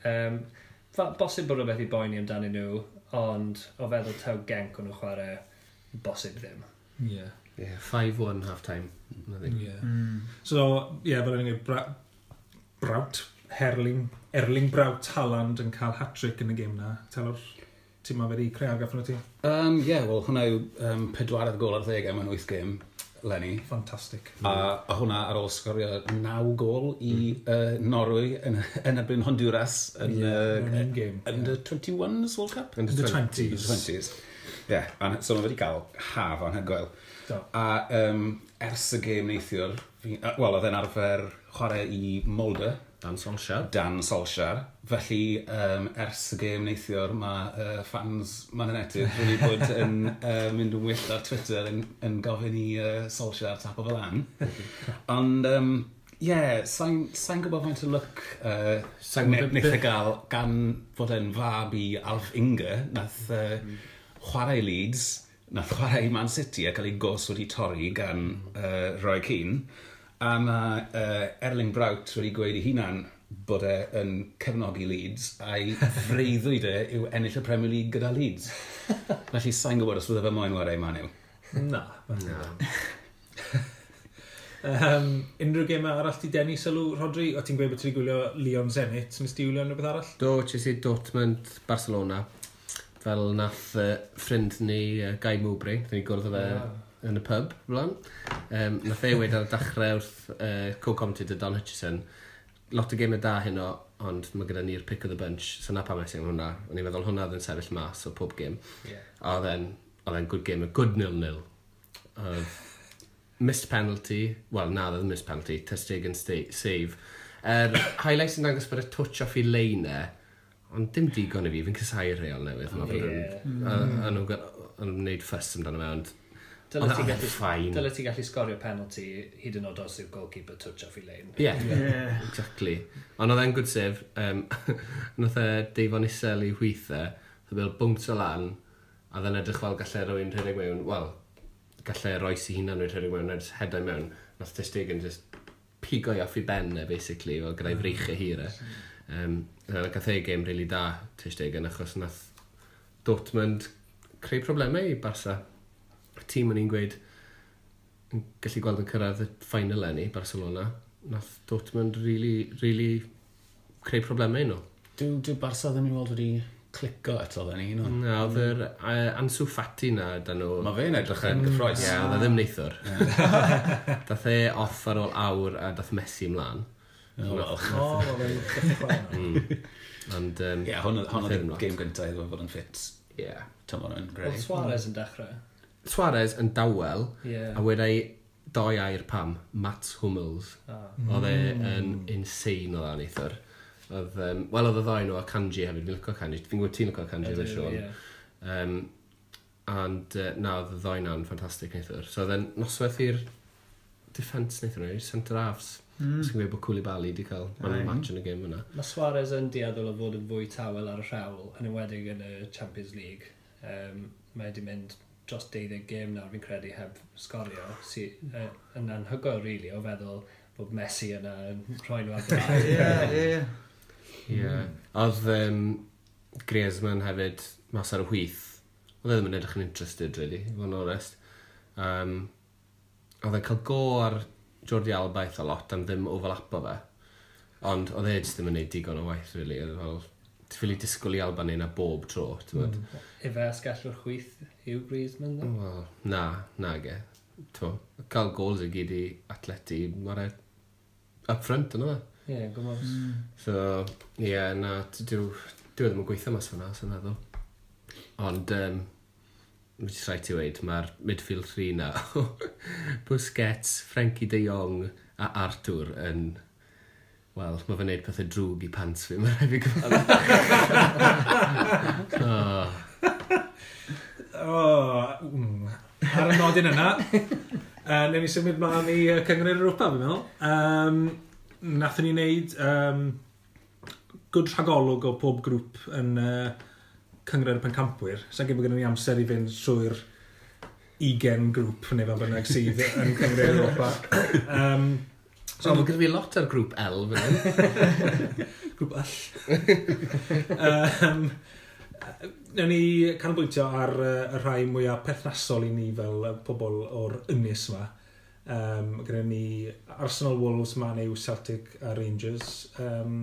um, fa- bosib bod rhywbeth i boeni amdanyn nhw, ond o feddwl taw Genk o'n nhw chwarae, bosib ddim. Yeah. Yeah, five one half time. Nothing. Yeah. Mm. So, ie, yeah, fel o'n i'n gweud, Bra Braut, Erling, Erling Braut Haaland yn cael hat-trick yn y gêm na. Telor, ti'n ma wedi creu argraff arno ti? Um, yeah, wel, hwnna yw um, pedwaredd gol ar ddeg mewn wyth gêm, Lenny. Fantastic. A, a hwnna ar ôl sgorio naw gol i mm. uh, Norwy yn, yn erbyn Honduras yn Ie, uh, mewn un gêm. Under twenty-ones World Cup? Under twenties. Under twenties. Ie, yeah, so mae wedi cael haf anhygoel. Do. A um, ers y gêm neithiwr, fi- uh, wel, oedd e'n arfer chwarae i Molde, Dan Solskjaer. Dan Solskjaer. Felly, um, ers y gêm neithiwr, mae uh, fans Man United wedi bod yn uh, mynd yn wyllt ar Twitter yn, yn gofyn i uh, Solskjaer tapo fel lan. Ond, um, ie, yeah, sa'n sa gwybod faint o luck uh, Sa'n gwbod wneith e gael gan fod e'n fab i Alf Inge, nath uh, chwarae i Leeds, nath chwarae i Man City a cael ei gos wedi torri gan uh, Roy Keane. A mae uh, Erling Braut wedi gweud i hunan bod e yn cefnogi Leeds a'i freuddwyd e yw ennill y Premier League gyda Leeds. Felly sa'n gwybod os bydde fe moyn chwarae i Man U. Na. Na. um, unrhyw gêm arall ti denu sylw, Rodri? O ti'n gweud bod ti wedi gwylio Lyon Zenit? Nes ti wylio unrhyw beth arall? Do, ches i Dortmund, Barcelona. Fel nath uh, ffrind ni, uh, Guy Mowbray, nath ni gwrdd â fe Ah. yn y pub, blaen. Um, nath e weud ar y dechrau wrth uh, co-commentator Don Hutchison, lot o gemau da heno, ond mae gyda ni'r pick of the bunch, so na pam es i am hwnna. O'n i'n meddwl hwnna oedd yn sefyll mas o pob gêm. Yeah. A oedd e'n, oedd e'n good game, a good nil-nil. Oedd missed penalty, wel na, oedd missed penalty, Ter Stegen sta- save. Er, highlights yn dangos bod y touch off i lein e, ond dim digon i fi, fi'n casáu'r reol newydd. Ma' fel Ie. yn- A, a nhw'n ga- a nhw'n gwneud fuss amdano fe, ond Dyle Ond ti oedd gallu, e'n fine. dyle ti gallu sgorio penalty hyd yn oed os yw'r goalkeeper touch off i lein. Ie, yeah, Yeah. exactly. Ond oedd e'n good save. Um, nath e deifon isel i chwith e, nath e fel bounce o lan, a oedd e'n edrych fel gallai rhywun rhedeg mewn, wel, gallai Reus i hunan rhywun rhedeg mewn, a just headau mewn. Nath Ter Stegen just pigo i off i ben e, basically, fel gyda'i freichau hir e. Um, a gath e game really da, Ter Stegen, achos nath Dortmund creu problemau i Barca. Y tîm o'n i'n gweud yn gallu gweld yn cyrraedd y final enni, Barcelona, nath Dortmund really, really creu problemau i nhw. Dyw, dyw Barca ddim i weld wedi clico eto then, no? Na, oedd yr uh, Ansu Fati na dan nhw. Mae fe'n edrych yn gyffrous. Ie, yeah, oedd e ddim neithwr. Dath e off ar ôl awr a dath Messi ymlaen. Oh, wel. O, mae fe'n dechrau nawr. Mm. Ond, um, Ie, hwn hwn oedd Nath e ddim y lot. gêm gyntaf iddo fo fod yn ffit. Ie. Tymor yn Oedd greu. Suarez yn dechrau. Suarez yn dawel, Ie. a wedai doi air pam, Mats Hummels. Ah. Oedd e yn insane o dda neithwr. Oedd, um, wel, oedd y ddau nhw a Kanji hefyd, fi'n licio Kanji. Fi'n gwybod ti'n licio Kanji efo Ydw, Sean. ie. Um, and uh, na, oedd y ddau na'n ffantastig neithwr. So oedd e'n noswaith i'r defence neithwr, i'r centre halves. Mm. Os chi'n gweud bod Koulibaly wedi cael man of the Aye. match yn y gêm yna. Mae Suarez yn dueddol o fod yn fwy tawel ar y rhawl, yn enwedig yn y Champions League. Um, mae wedi mynd dros deuddeg gêm nawr fi'n credu heb sgorio, sy'n uh, yn anhygoel really o feddwl bod Messi yna yn rhoi nhw ar blaen. Ie, ie, ie. Ie. Oedd, um, Griezmann hefyd, mas ar y chwith. Oedd e ddim yn edrych yn interested, really, i fod yn onest. Um, oedd e'n cael go ar Jordi Alba eitha lot am ddim overlapo fe. Ond oedd e jyst ddim yn gwneud digon o waith, really. Oedd e fel, ti ffili disgwyl i Alba neud na bob tro, ti'n mm. Ife asgellwr chwith yw Griezmann, ddo? Wel, na, na ge. T'mo, cael goals i gyd i Atleti, mae'r e up front yna fe. Ie, yeah, gwybod. Mm. So, ie, yeah, na, dyw, dyw e ddim yn gweithio mas fyna, sy'n meddwl. Ond, um, jyst rhaid ti weud, mae'r midfield three na, Busquets, Frenkie de Jong a Arthur yn, wel, mae fe'n neud pethau drwg i pants fi, mae'n rhaid fi gyfadde. Oh, Oh, mm. Ar y nodyn yna, uh, newn ni symud mlaen i uh, Cynghrair Europa, fi'n meddwl. Um, nathon ni wneud um, good rhagolwg o pob grŵp yn uh, Cynghrair y Pencampwyr. Sa'n gwybod bod gennym ni amser i fynd trwy'r ugain grŵp neu fel bynnag sydd yn Cynghrair Europa. Um, so, mae gyda fi lot ar grŵp L fan hyn. Grŵp L. um, Newn ni canolbwyntio ar uh, y rhai mwyaf perthnasol i ni fel uh, pobl o'r ynys yma. Um, gyda ni Arsenal, Wolves, Man U, Celtic a Rangers. Um,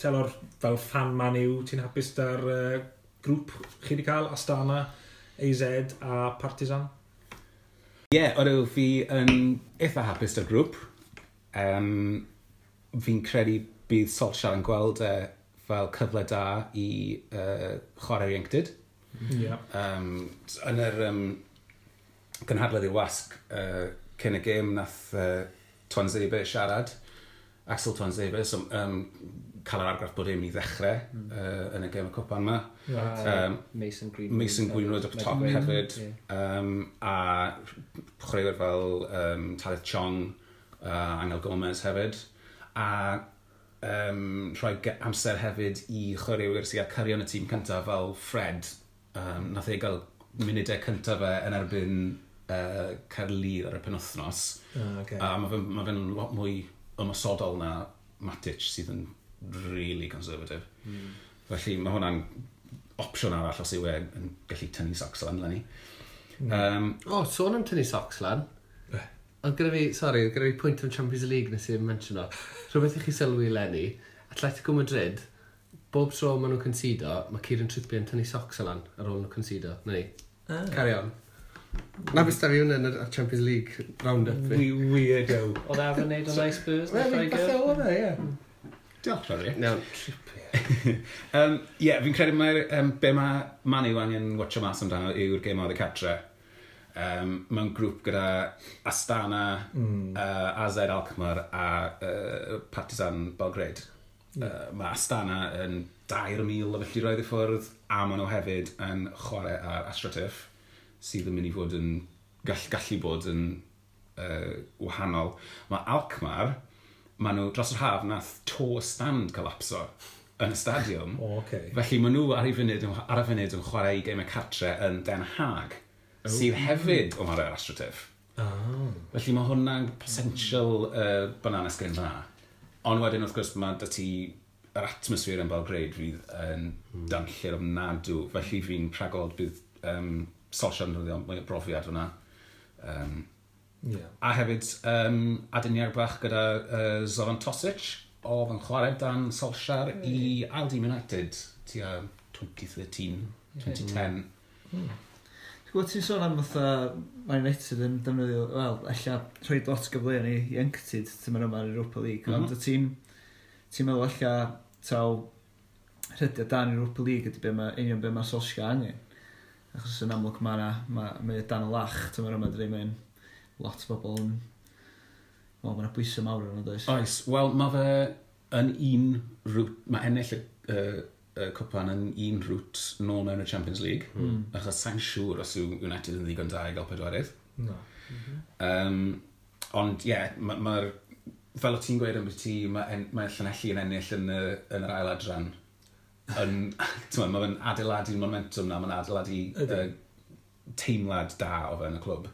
Telor, fel fan Man U, ti'n hapus da'r uh, grŵp chi wedi cael? Astana, A Z a Partizan? Ie, yeah, odw, fi yn eitha hapus da'r grŵp. Um, fi'n credu bydd Solskjaer yn gweld e fel cyfle da i uh, chwarae'r ieuenctid. Ie. Yeah. Um, yn yr um, gynhadledd i wasg uh, cyn y gêm nath uh, Tuanzebe siarad. Axel Tuanzebe, so, um, cael yr argraff bod e'n mynd i ddechrau mm. uh, yn y gêm y cwpan yma. Right. Um, Mason Greenwood. Mason Greenwood up top hefyd. Ie. Um, a chwaraewyr fel um, Tahith Chong, uh, Angel Gomez hefyd. A um, rhoi ge- amser hefyd i chwaraewyr sy'n cael cario yn y tîm cyntaf fel Fred. Um, nath e gael munudau cyntaf fe yn erbyn uh, Caerdydd ar y penwythnos. Ah, okay. A mae fe'n ma fe lot mwy ymosodol na Matic sydd yn really conservative. Mm. Felly mae hwnna'n opsiwn arall os yw e yn gallu tynnu socks lan eleni. Mm. Um, O, sôn am tynnu socks lan. Oedd gyda fi, sorry, oedd gyda fi pwynt am Champions League nes i'n mention o. Rhywbeth i chi sylwi eleni, Atletico Madrid, bob tro maen nhw'n concedo, mae Kieran Trippier yn tynnu socks lan ar ôl nhw concedo. Na ni. Ah. Carry on. Na beth da fi hwnna yn y Champions League round-up fi. We weirdo. Oedd arfer wneud o'n nice Spurs? Wel, neu falle Lloegr? oedd e, ie. Diolch, Rodri. Iawn. Um, yeah, fi'n credu mae'r um, be mae Man U angen watcho mas amdano yw'r gêm oedd y catre. Um, mewn grŵp gyda Astana, mm. uh, A Z Alkmaar a uh, Partizan Belgrade. Yeah. Uh, mae Astana yn dair mil o filltiroedd i ffwrdd a maen nhw hefyd yn chwarae ar AstroTurf sydd yn mynd i fod yn gall, gallu bod yn uh, wahanol. Mae Alkmaar, maen nhw dros yr haf nath to stand collapso yn y stadiwm. O, okay. Felly maen nhw ar, y funud, ar y funud yn chwarae i gemau cartre yn Den Haag, sydd hefyd yn chwarae ar AstroTurf. Oh. Felly mae hwnna'n potential uh, banana skin fan'na. Ond wedyn wrth gwrs mae 'da ti yr atmosffer yn Belgrade fydd yn mm. danllyd ofnadw. Felly fi'n rhagweld bydd um, Solskjaer yn defnyddio mwy o brofiad fyna. Um, Yeah. a hefyd um, aduniad bach gyda uh, Zoran Tosic oedd yn chwarae dan Solskjaer i ail dîm United tua dwy fil un deg tri, dwy fil un deg. Ti'n gwybod, ti'n sôn am fatha Man United yn defnyddio, wel, ella rhoi lot o gyfleoedd i ieuenctid tymor yma yn Europa League, mm Mhm. -hmm. ond ti'n ti'n meddwl ella taw rhediad dan Europa League ydy be ma, union be mae Solskjaer angen. Achos yn amlwg mae yna, mae, mae dan y lach tymor yma, dydy, mae'n lot o bobl yn, wel, mae yna bwysau mawr arno, does? Oes, wel mae fe yn un route, mae ennill y, y, y cwpan yn un route nôl mewn y Champions League. Mm. Achos sa'n siŵr os yw United yn ddigon da i gael pedwerydd. No. Um, ond ie, yeah, mae'r... Ma fel o ti'n gweud am ti, mae, en, mae Llanelli yn ennill yn, y, yn yr ail adran. Yn, t'mo, mae fe'n adeiladu momentum na, mae'n adeiladu Ydy. uh, teimlad da o fewn y clwb.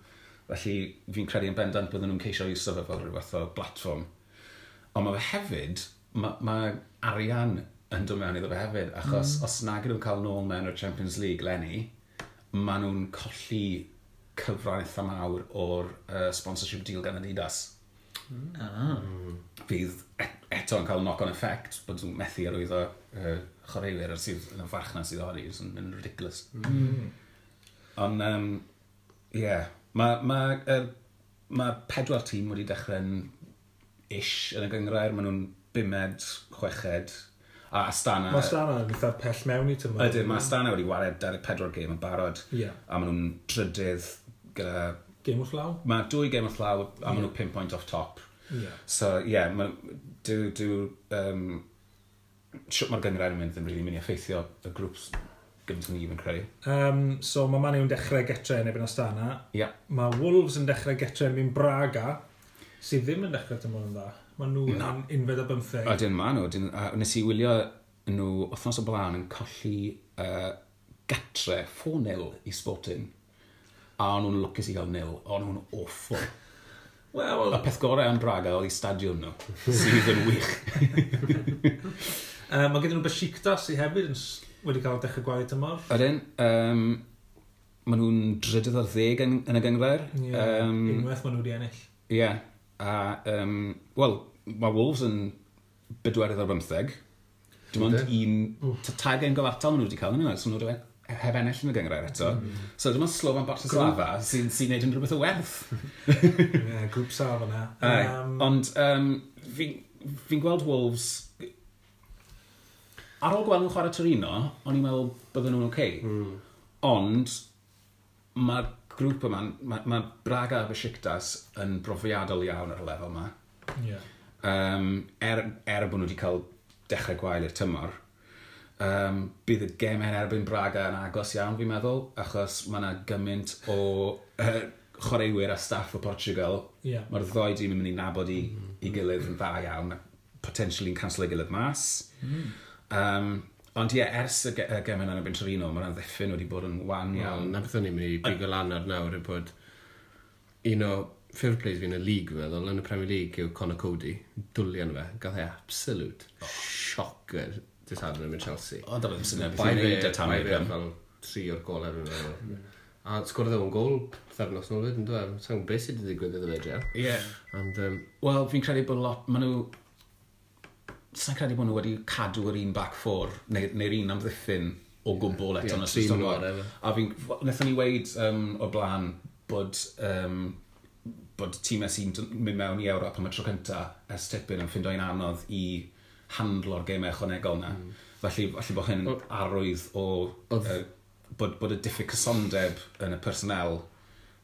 Felly fi'n credu yn bendant bydden nhw'n ceisio iwso fe fel rhyw fath o platfform. Ond mae fe hefyd, mae, mae arian yn dod mewn iddo fe hefyd, achos mm. os nag ydyn nhw'n cael nôl mewn o'r Champions League leni, maen nhw'n colli cyfran eitha mawr o'r uh, sponsorship deal gan Adidas. Mm. Ah. Fydd et eto yn cael knock-on effect, bod nhw'n methu arwyddo uh, chwaraewyr ar sydd yn y farchnad sydd ohoni, sy'n yn ridiculous. Mm. Ond, um, ie, yeah. mae ma, uh, ma pedwar tîm wedi dechrau'n ish yn y gynghrair, maen nhw'n bumed, chweched, a Astana... Mae Astana yn eitha pell mewn i tymor. Ydyn, mae Astana wedi wario dau ddeg pedwar gêm yn barod, Ie. a maen nhw'n drydydd gyda... Gêm wrth law? Mae dwy gêm wrth law, a maen nhw pum point off top. Ie. So, ie, yeah, ma, dw, dw, um, siwt mae'r gynghrair yn mynd ddim really mynd i effeithio y grŵps gymaint ni fi'n credu. Um, so mae Man U'n dechrau getre yn erbyn Astana. Ie. Mae Wolves yn dechrau getre yn erbyn Braga, sydd ddim yn dechrau tymor yn dda. Mae nhw Na. yn unfed a bymtheg. Ydyn, ma nhw. Dyn, a nes i wylio nhw wythnos o blaen yn colli uh, gatre four nil i Sporting. A o'n nhw'n lwcus i gael nil. O'n nhw'n awful. Wel, Y peth gorau am Braga oedd i stadiwm nhw, sydd yn wych. uh, mae gyda nhw Besiktas sydd hefyd yn s- wedi cael dechrau gwael tymor. Ydyn, um, maen nhw'n drydydd ar ddeg yn, yn y gynghrair. Ie, Um, unwaith maen nhw wedi ennill. Ie, yeah. A, um, wel, mae Wolves yn bedwerydd ar bymtheg. Dim ond un, t- tair gêm gyfartal maen nhw wedi cael yn yna, so nhw wedi heb ennill yn y gynghrair eto. Mm. So dim ond Slovan Bratislava sy'n sy neud unrhyw beth o werth. Ie, grŵp saf yna. Aye. Um, Ond um, fi'n fi gweld Wolves... Ar ôl gweld nhw'n chwarae Torino, o'n i'n meddwl bydden nhw'n oce. Okay. Mm. Ond mae'r grŵp yma, mae ma Braga a Besiktas yn brofiadol iawn ar y lefel yma. Ie. Um, er, er bod nhw wedi cael dechrau gwael i'r tymor, um, bydd y gemau yn erbyn Braga yn agos iawn, fi'n meddwl, achos mae yna gymaint o uh, chwaraewyr a staff o Portugal. Ie. Mae'r ddoi dîm yn mynd i nabod i, i gilydd yn dda iawn, a potentially yn cancel ei gilydd mas. Mm. Um, ond ie, ers y, ge y gemau yn erbyn Torino, mae'r amddiffyn wedi bod yn wan Iawn, iawn. na beth o'n i'n mynd i bigo lan ar nawr yw bod un o favourite players fi yn y league, fi'n meddwl, yn y Premier League yw Conor Coady. Dwli arno fe. Gath e absolute shocker dydd Sadwrn yn mynd Chelsea. Ond oedd ddim syniad beth Bai i'n fe, neud y Tammy bai fe Abraham. fel tri o'r golau fi'n meddwl. A sgorodd e un gol pythefnos nôl fyd, yn dweud. Sa'n gwybod beth sydd wedi digwydd iddo fe, Jel. Ie. Ond, um, Wel, fi'n credu bod lot, maen nhw... Sa'n credu bod nhw wedi cadw yr un back four, neu'r neu un amddiffyn o gwbl eto Ie, yn tri ystod maen nhw tymor. ar efo. A fi'n... Wnaethon ni weid um, o blaen bod, um, bod tîmau sy'n d- mynd mewn i Ewrop am y tro cynta ers tipyn yn ffindo'n anodd i handlo'r gemau ychwanegol na. Mm. Felly, felly bod hyn yn arwydd o Oedd- uh, bod, bod y diffyg cysondeb yn y personnel,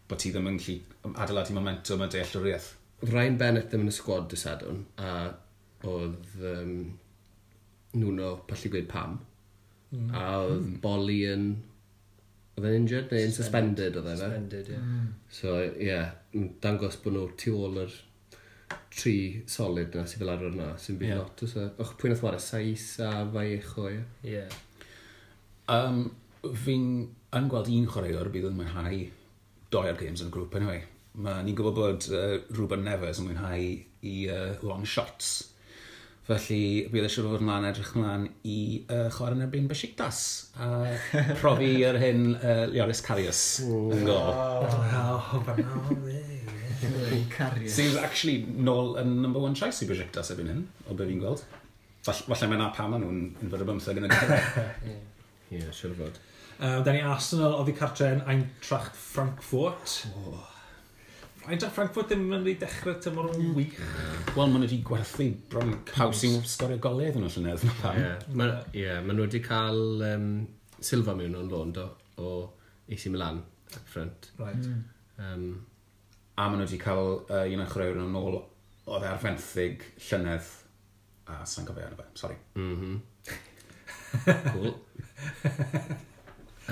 bod ti ddim yn gallu adeiladu momentum a dealltwriaeth. Oedd Ryan Bennett ddim yn y sgwad dydd Sadwrn, a oedd um, Nuno pallu gweud pam. Mm. A oedd mm. Boly yn... Oedd e'n injured neu yn suspended oedd e fe? Suspended, ie. Mm. So, ie, yeah, dangos bod nhw tu ôl yr tri solid na sydd fel arfer na, sy'n byd Ie. yeah. lot. So, och, pwy nath ware? Saiss a Vallejo, ie. Ie. Um, fi'n yn gweld un chwaraewr bydd yn mwynhau doi o'r games yn y grŵp anyway. Ma, ni'n gwybod bod uh, Ruben Neves yn mwynhau i uh, long shots. Felly bydd e siŵr o fod ymlaen edrych ymlaen i uh, chwarae yn erbyn Besiktas a profi yr hyn uh, Loris Karius yn gol. Oh, Cario. Sydd actually nôl yn number one choice i Besiktas erbyn hyn, o be fi'n gweld. Fall, falle mae na pam maen nhw'n unfed o bymtheg yn y gynghrair. Ie, yeah, siŵr o fod. Um, da ni Arsenal oddi cartre yn Eintracht Frankfurt. Oh. Eintracht Frankfurt ddim yn ei dechrau tymor yn wych. Wel, maen nhw wedi gwerthu bron pawb sy'n sgorio golau iddyn nhw llynedd. Na pam. Ie, ma, yeah, ma nhw wedi cael um, Silva mewn o'n lôn, do, o A C Milan, up front. Right. Mm. Um, A maen nhw wedi cael uh, un o'r chwaraewyr yn ôl oedd e ar fenthyg llynedd. A sa'n cofio enw fe, sori. mm -hmm. Cool.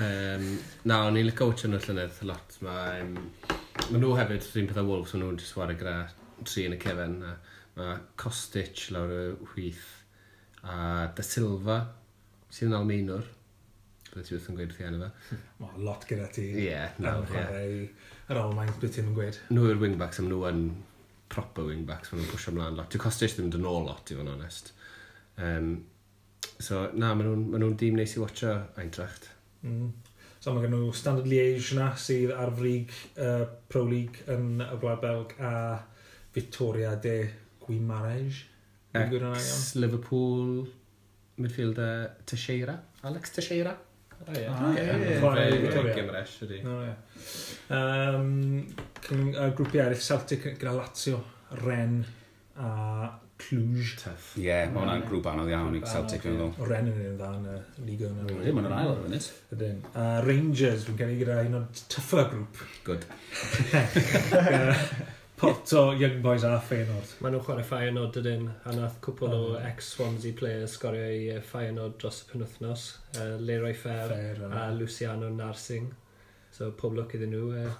um, na, o'n i'n licio watcho nhw llynedd lot. Mae, um, ma nhw hefyd, rhywun peth o Wolves, ma nhw'n just ware gyda tri yn y cefen. A mae Kostic lawr y chwith a Da Silva, sydd yn Almaenwr. Bydde ti wrth yn gweud wrth i enw fe. Mae lot gyda ti. Ie, Am no, ie. chwarae yr Almaen, beth ti'n gweud. Nhw yw'r wingbacks, am nhw yn proper wingbacks, maen nhw'n pwysio ymlaen lot. Dyw Kostic ddim yn dod nôl lot, i fod yn onest. Um, So, na, maen nhw'n ma nhw dîm neis i watcho Eintracht. Mm. So mae gen nhw Standard Liège na sydd ar frig uh, Pro League yn y Gwlad Belg a Victoria de Guimarães. Dwi'n gwybod hwnna iawn? Ex-Liverpool midfielder Teixeira. Alex Teixeira. O, ie. Ah, ie. ie. Chwarae i Victoria. Gymresh, ydy. No, ie. Um, cyn- uh, grwpiau eraill, Celtic gyda Lazio, Rennes a Cluj. Tough. Ie, yeah, mae hwnna'n grŵp anodd iawn i Grŵp Celtic, anodd, dwi'n meddwl. O Rennes yn un dda yn y Liga yna. Ydyn, maen nhw'n ail ar y funud. Ydyn. A Rangers, dwi'n credu gyda un o'r tougher grŵp. Good. Gyda Porto, Young Boys a Feyenoord. Maen nhw'n chwarae Feyenoord dydyn, a nath cwpl o Mm. ex-Swansea players sgorio i uh, Feyenoord dros y penwythnos. Uh, Leroy Fer Fair, a yna. Luciano Narsing. So pob lwc iddyn nhw. Uh,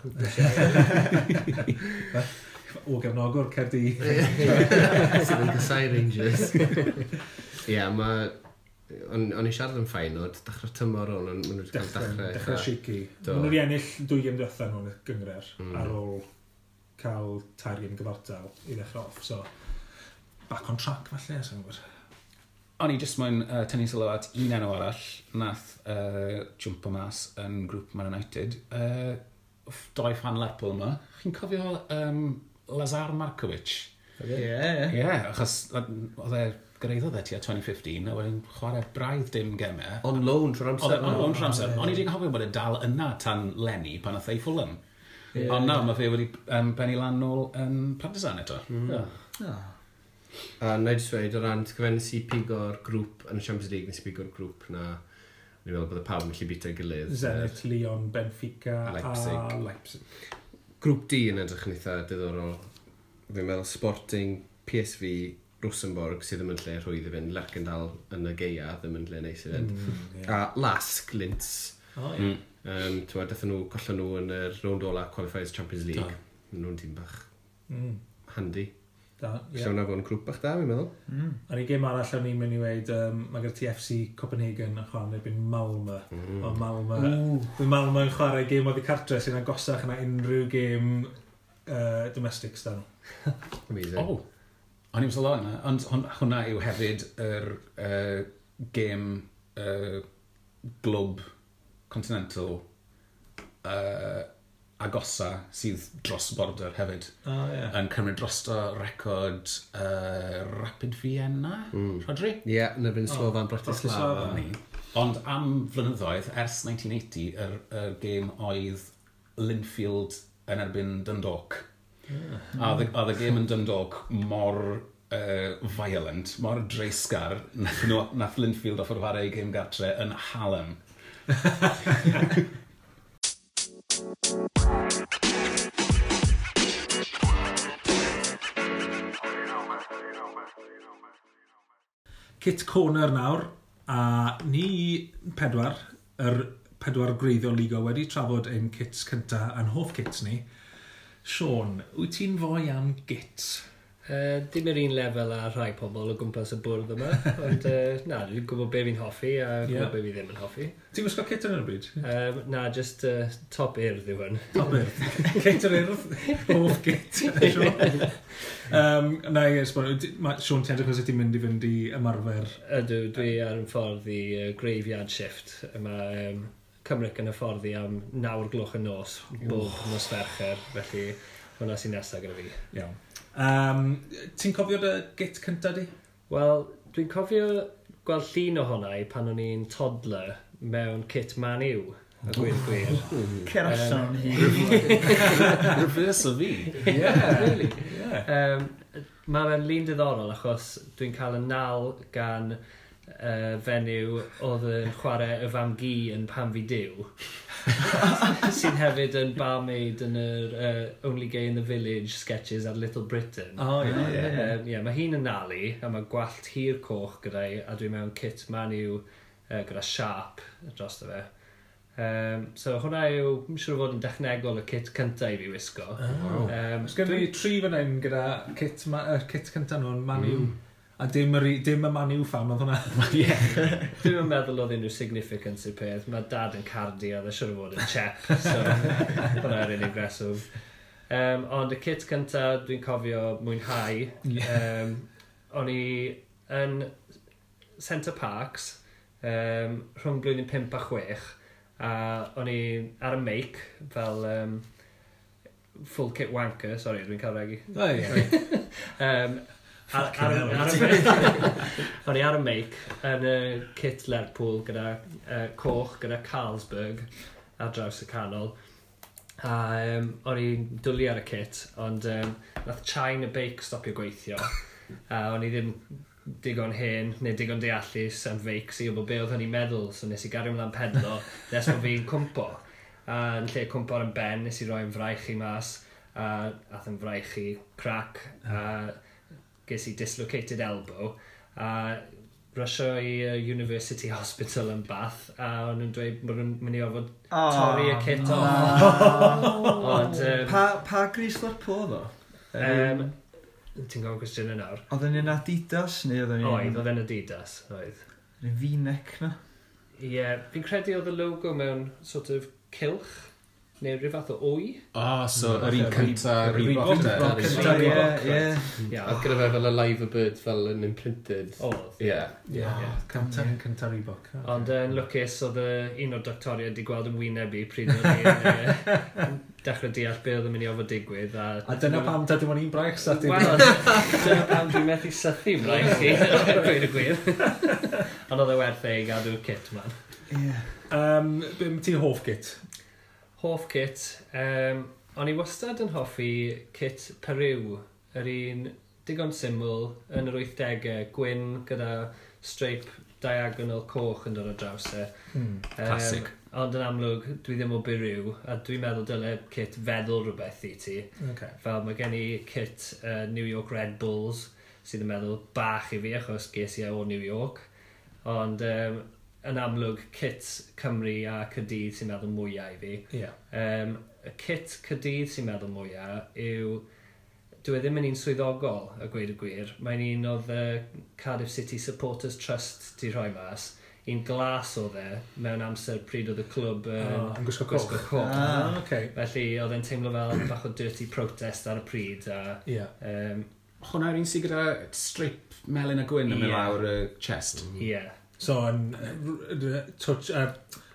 O gefnogwr Caerdydd. Sydd yn casau Rangers. Ie, yeah, mae... O'n o'n i siarad yn Feyenoord, dechrau tymor o'n, maen nhw wedi cael Dechrau, dechrau. dechrau shaky. Do. Maen nhw wedi ennill dwy gêm diwetha nhw'n y gynghrair Mm. ar ôl cael tair gêm gyfartal i ddechrau off. So, back on track falle, sa'n gwybod. O'n i jyst moyn uh, tynnu sylw at un enw arall nath uh, jumpo mas yn grŵp Man United. Uh, doi fan Lerpwl yma. Chi'n cofio um, Lazar Markovic? Ie, ie. Ie, yeah, achos oedd e gyrhaeddodd e tua dwy fil un deg pump a wedyn chwarae braidd dim gemau. On loan trwy'r Oedd e amser. on loan trwy'r amser. O'n i wedi cofio bod e dal yna tan leni pan nath e i Fulham. Ie. Ond nawr mae fe wedi um, bennu lan nôl yn Partizan eto. Mm. Oh. A na i jyst dweud, o ran, ti'n cofio nes i pigo'r grŵp yn y Champions League, nes i pigo'r grŵp na, ni'n meddwl bod y pawb yn gallu bito gilydd. Zenit, Lyon, Benfica Leipzig. a Leipzig. Grŵp D yn edrych yn eitha diddorol. Fi'n meddwl Sporting, P S V, Rosenborg sydd ddim yn lle rhwydd i fynd, Lerkendal yn y gaea ddim yn lle neis i fynd. Mm, ie. A Lask, Linz, O, ie. Mm. um, ti'n dathon nhw, collon nhw yn y rownd ola qualifiers Champions League. Do. Nhw'n tîm bach Mm, handy. Da, Yeah. ie. Lle hwnna fod yn grŵp bach da, fi'n meddwl. Mm. A'r un gêm arall o'n i'n mynd i weud, um, mae gyda ti F C Copenhagen yn chwarae yn erbyn Malmö. Mm. O Malmö. Bydd Malmö yn chwarae gêm oddi cartre sy'n agosach na unrhyw gêm uh, domestic sdan. Amazing. Oh, o'n i'n sylwi yna. Ond hwn- hwnna yw hefyd yr uh, gêm uh, glwb continental uh, agosa sydd dros border hefyd. O, ie. Yn cymryd drosto record uh, Rapid Vienna, Mm. Rodri? Ie, yeah, yn erbyn O, Slovan Bratislava. Bratislava. Ni. Ond am flynyddoedd, ers mil naw wyth صفr, yr, yr gêm oedd Linfield yn erbyn Dundalk. A oedd y- oedd y gêm yn Dundalk mor uh, violent, mor dreisgar, nath, nhw, nath Linfield offer chwarae ei gêm gartre yn Hallam. Kit Corner nawr, a ni pedwar, yr pedwar gwreiddiol Ligo wedi trafod ein kits cynta a'n hoff kits ni. Sean, wyt ti'n foi am gits? Uh, dim yr un lefel â rhai pobl o gwmpas y bwrdd yma, ond uh, na, dwi'n gwybod be fi'n hoffi a gwybod Ie. yeah. be fi ddim yn hoffi. Ti'n gwisgo kit yn y bryd? Um, na, just uh, top Urdd yw hwn. Top Urdd. Kit yr Urdd. Hoff kit. Sean. Um, na i esbonio, di- ma- Sean, ti'n edrych os ti'n mynd i fynd i ymarfer. Ydw, dwi ar yn ffordd i uh, graveyard shift. Mae um, Cymric yn y ffordd i am nawr gloch y nos, bob nos Fercher, felly hwnna sy'n nesaf gyda fi. Iawn. Um, ti'n cofio dy git cynta di? Wel, dwi'n cofio gweld llun ohona i pan o'n i'n toddler mewn kit Man U, a gwir gwir. Cer allan o'n hun. Reverse o fi. Yeah. Really? Yeah. Um, mae fe'n lun diddorol achos dwi'n cael y nal gan uh, fenyw oedd yn chwarae y fam gi yn Pam Fi Duw, sydd hefyd yn barmaid yn yr uh, Only Gay in the Village sketches ar Little Britain. Oh, ie. Ie. Um, yeah, mae hi'n yn nalu a mae gwallt hir coch gyda i a dwi mewn kit Man U uh, gyda sharp dros fe. Um, so hwnna yw, yn siŵr o fod yn dechnegol y kit cyntaf i fi wisgo. Wow. Um, Os gen i tri fan hyn gyda kit, ma, uh, kit cynta nhw'n Man U. A dim, yr, dim y Man U fan oedd hwnna. Ie. Dwi'm yn meddwl oedd unrhyw significance i'r peth. Mae dad yn Cardi a oedd e siŵr o fod yn chep, so hwnna'r unig reswm. Um, ond y kit cynta dwi'n cofio mwynhau. Ie. Um, o'n i yn Centre Parks, um, rhwng blwyddyn pump a chwech, a o'n i ar y meic fel um, full kit wanker, sorry, dwi'n cael regi. O, ie. um, ar, ar, ar, o'n i ar y meic yn y kit Lerpwl gyda uh, coch, gyda Carlsberg ar draws y canol. A um, o'n i'n dwlu ar y kit, ond um, nath chain y beic stopio gweithio. A o'n i ddim digon hen neu digon deallus am feics i wybod be oedd hynny'n meddwl, so nes i gario ymlaen pedlo nes bod fi'n cwmpo. A yn lle cwmpo ar yn ben, nes i roi'n fraich i mas, a ath yn fraich i crack, a ges i dislocated elbow, a rysio i uh, University Hospital yn Bath, a o'n nhw'n dweud bod nhw'n mynd i orfod Oh, torri y kit off. Ond, um, Pa, pa gris Lerpwl oedd o? um, ti'n gofyn cwestiwn yn nawr? Oedd yn un Adidas neu oedd yn un... Oedd, oedd yn Adidas, oedd. Un V-neck na? Ie, yeah, fi'n credu oedd y logo mewn sort of cylch, neu rhyw fath o wy. O, oh, so yr un cynta Reebok Reebok de. de. Reebok. Ie, ie. Ie, Oedd gyda fe fel y live bird fel yn imprinted. oedd. Ie. Ie, cynta, cynta Reebok. Ond yn lwcus oedd y, un o'r doctoriaid wedi gweld yn wyneb i pryd oedd i'n yy, dechrau deall be oedd yn mynd i ofod digwydd. A, A dyna pam ta dim ond un braich sa ti. Wel, dyna pam dwi'n methu sythu braich i, gweud y gwir. Ond oedd e werth e i gadw'r kit man. Ie. Um, be am ti hoff kit? Hoff kit, um, o'n i wastad yn hoffi kit Peru, yr un digon syml yn yr wythdegau, gwyn gyda stripe diagonal coch yn dod o draws e. Mm. Classic. Um, ond yn amlwg, dwi ddim o Peru, a dwi'n meddwl dyle kit feddwl rhywbeth i ti. Okay. Fel mae gen i kit uh, New York Red Bulls, sydd yn meddwl bach i fi, achos ges i e o New York. Ond um, yn amlwg, kit Cymru a Caerdydd sy'n meddwl mwyaf i fi. Ie. Um, y kit Caerdydd sy'n meddwl mwyaf yw... Dwi e ddim yn un swyddogol, a gweud y gwir. Mae'n un oedd y Cardiff City Supporters Trust di rhoi mas. Un glas oedd e mewn amser pryd oedd y clwb yn Oh, yn gwisgo coch. gwisgo coch. Ah. Ah, okay. Felly oedd e'n teimlo fel bach o dirty protest ar y pryd. A, Ie. um, Hwna yw'r un sydd gyda stripe melyn a gwyn yn mynd Ie. lawr y chest. ie. So, yn uh, touch, uh,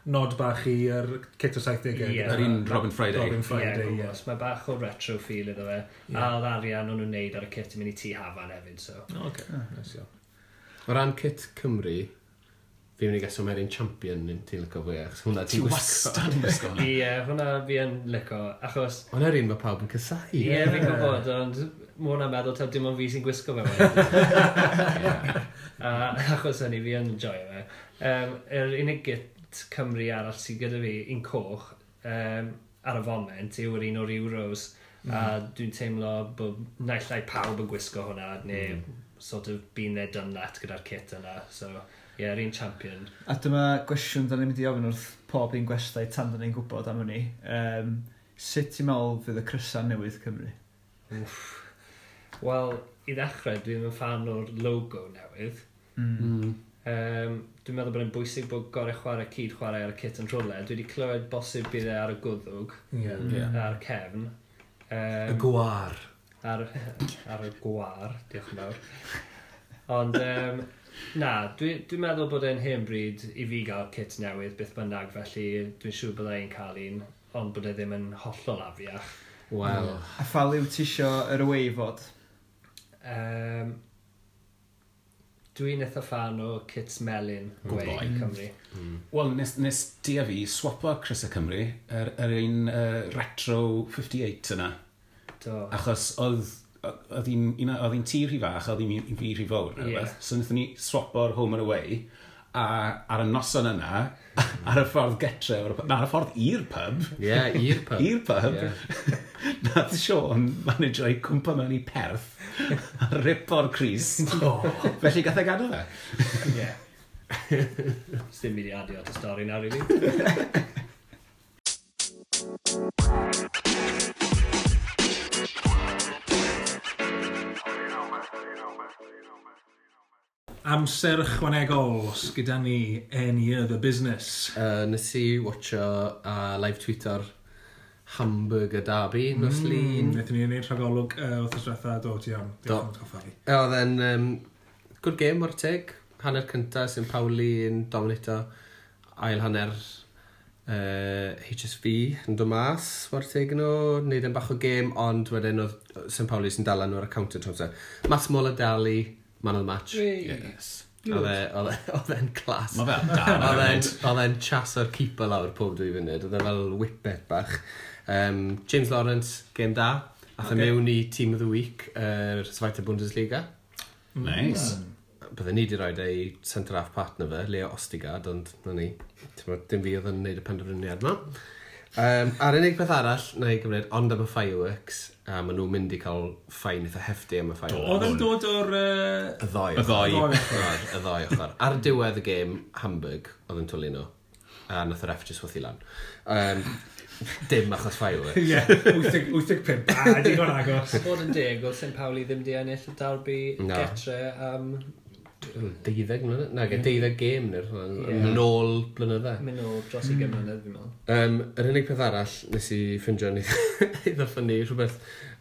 nod bach i'r kit o saithdegau. Ie. Yr un Robin Friday. Robin Ie, Friday, ie. gwybod. Mae bach o retro feel iddo fe. Ie. A oedd arian o'n nhw'n neud ar y kit yn mynd i Tŷ Hafan hefyd, so. O, okay. Nice iawn. O ran kit Cymru, fi'n mynd i geso mae'r un champion yn ti'n licio fwy, achos hwnna Ti ti'n gwisgo. wastad yn gwisgo hwnna. Ie, hwnna fi yn lico, achos Hwnna'r un mae pawb yn casáu. Ie, fi'n gwybod, ond mae hwnna'n meddwl taw dim ond fi sy'n gwisgo fe wedyn. A achos hynny, fi yn joio fe. Um, yr unig git Cymru arall sydd gyda fi, un coch, um, ar y foment, yw'r un o'r Euros. Mm. A dwi'n teimlo bod naill ai pawb yn gwisgo hwnna, neu mm. sort of been there, done that gyda'r kit yna. So, ie, yeah, yr un champion. A dyma gwestiwn da ni'n mynd i ofyn wrth pob un gwestai tan da ni'n gwybod am hynny. Um, sut ti'n meddwl fydd y crysa newydd Cymru? Wel, i ddechrau, dwi ddim yn fan o'r logo newydd. Mm. Mm. Um, dwi'n meddwl bod e'n bwysig bod gorau chwarae cyd chwarae ar y kit yn rhywle. Dwi wedi clywed bosib bydd e ar y gwddwg, Ie. Ie. ar y cefn. Y Um, gwar. ar, ar y gwar, diolch yn fawr. Ond, um, na, dwi'n dwi meddwl bod e'n hen bryd i fi gael kit newydd beth bynnag, felly dwi'n siŵr bydda i'n cael un, ond bod e ddim yn hollol afiach. Wel, A pha liw ti isio yr away fod? Um, dwi'n eitha fan o kits melyn Good away boy. Cymru. mm. Wel, nes, nes di a fi swapo Crys y Cymru, yr, yr un uh, retro fifty-eight yna. Do. Achos oedd oedd hi'n un- oedd hi'n tŷ rhy fach, oedd hi'n fi rhy fawr. neu Ie. rhywbeth. So wnaethon ni swapo'r home and away, a ar y noson yna, ar y ffordd getre, o'r pub- na, ar y ffordd i'r pub, Ie, i'r pub. i'r pub, Ie. nath Sean manager i cwmpa mewn i Perth a ripo'r crys. Oh. Felly gath e gadw fe. Ie. Sdim byd i adio at y stori na, really. Amser ychwanegol, os gyda ni any other business. Uh, nes i watcho a live tweeto'r Hamburger Derby nos Mm, Lun. Wnaethon ni wneud rhagolwg uh, wythnos diwetha, do, ti iawn. Do. Diolch am atgoffa fi. E, Oedd e'n um, good game o'r teg. Hanner cynta, Saint Pauli yn dominato. Ail hanner uh, H S V yn dod mas, war teg nhw, wneud yn bach o gêm, ond wedyn oedd Saint Pauli sy'n dala nhw ar y counter trwy amser. Massimo Dali, man of the match. Yes. Oedd e- e'n clas. Mae fel dan. Oedd e'n chaso'r keeper lawr pob dwy funud. Oedd e fel whippet bach. Um, James Lawrence, game da. Ath e okay. mewn i Team of the Week, yr uh, Zweite Bundesliga. Nice. Mm. Bydden ni wedi rhoi ei centre-half partner fe, Leo Ostigard, ond na ni. Dim fi oedd yn gwneud y penderfyniad yma. Um, a'r unig peth arall, na i gymryd, ond am y fireworks, a maen nhw'n mynd i cael fine eitha hefty am y fireworks. Oedd yn dod o'r... Uh... Y ddoi. Y ddoi. Y ddoi ochr. Ar diwedd y gêm, Hamburg, oedd yn twlu nhw. A nath yr ref just chwythu lan. Um, dim achos fireworks. Ie, wyth deg pump. A, digon agos. Bod yn deg, oedd Saint Pauli ddim di ennill y derby getre am... Deuddeg mlynedd? Na, deuddeg gêm neu'r nôl blynydde. Mynd nôl dros ugain mlynedd, fi'n meddwl. Um, yr unig peth arall nes i ffindio yn eitha ffynnu, rhywbeth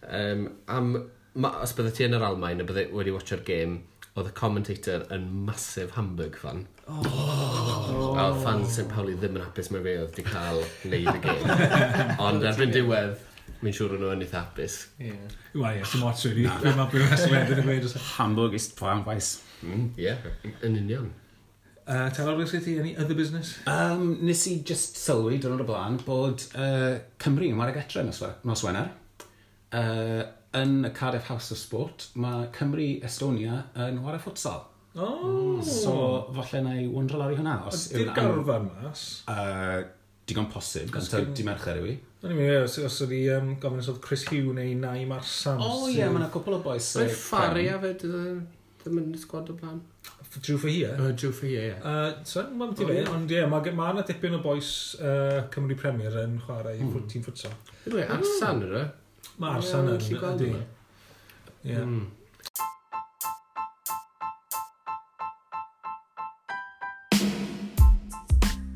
um, am, ma, os bydde ti yn yr Almaen a bydde wedi watcho'r gêm, oedd y commentator yn massive Hamburg fan. Oh. A oedd fans Saint Pauli ddim yn hapus mae fe oedd wedi cael neud y gêm. Ond erbyn diwedd, mi'n siŵr o'n nhw yn eitha hapus. Yeah. Wel, ie, sy'n ots really. Fe mae beth wedyn yn gweud. Hamburg ist braun-weiß. Mm, yeah, yn union. Uh, Telor, beth ti, any other business? Um, nes i just sylwi diwrnod o blaen bod uh, Cymru yn ware getre nos, nos Wener. Uh, yn y Cardiff House of Sport, mae Cymru Estonia yn ware futsal. Oh. So, falle na i wondro lawr i hwnna. Os Ydy'r garfan mas? Uh, digon posib, gan taw di Mercher yw i. O'n i'n meddwl, os, os oedd i um, gofyn os oedd Chris Hugh neu Naim Arsam. O ie, mae yna cwpl o boys. Roedd Faria fe, ddim yn sgwad o blaen. Drew Fahia? Uh, Drew Fahia, ie. Uh, so, mae'n ti fe, ond ie, mae ma yna dipyn o boys uh, Cymru Premier yn chwarae i mm. tîm futsal. Ydw i, Arsan yna? Mae Arsan yn, ydy. Ie.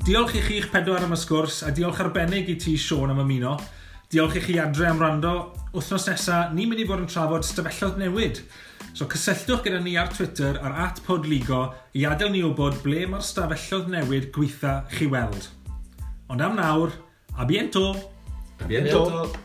Diolch i chi'ch pedwar am y sgwrs, a diolch arbennig i ti, Siôn, am ymuno. Diolch i chi adre am wrando. Wythnos nesaf, ni'n mynd i fod yn trafod stafelloedd newid. So cysylltwch gyda ni ar Twitter ar at podligo i adael ni wybod ble mae'r stafelloedd newid gweitha chi weld. Ond am nawr, a bientôt! A bientôt!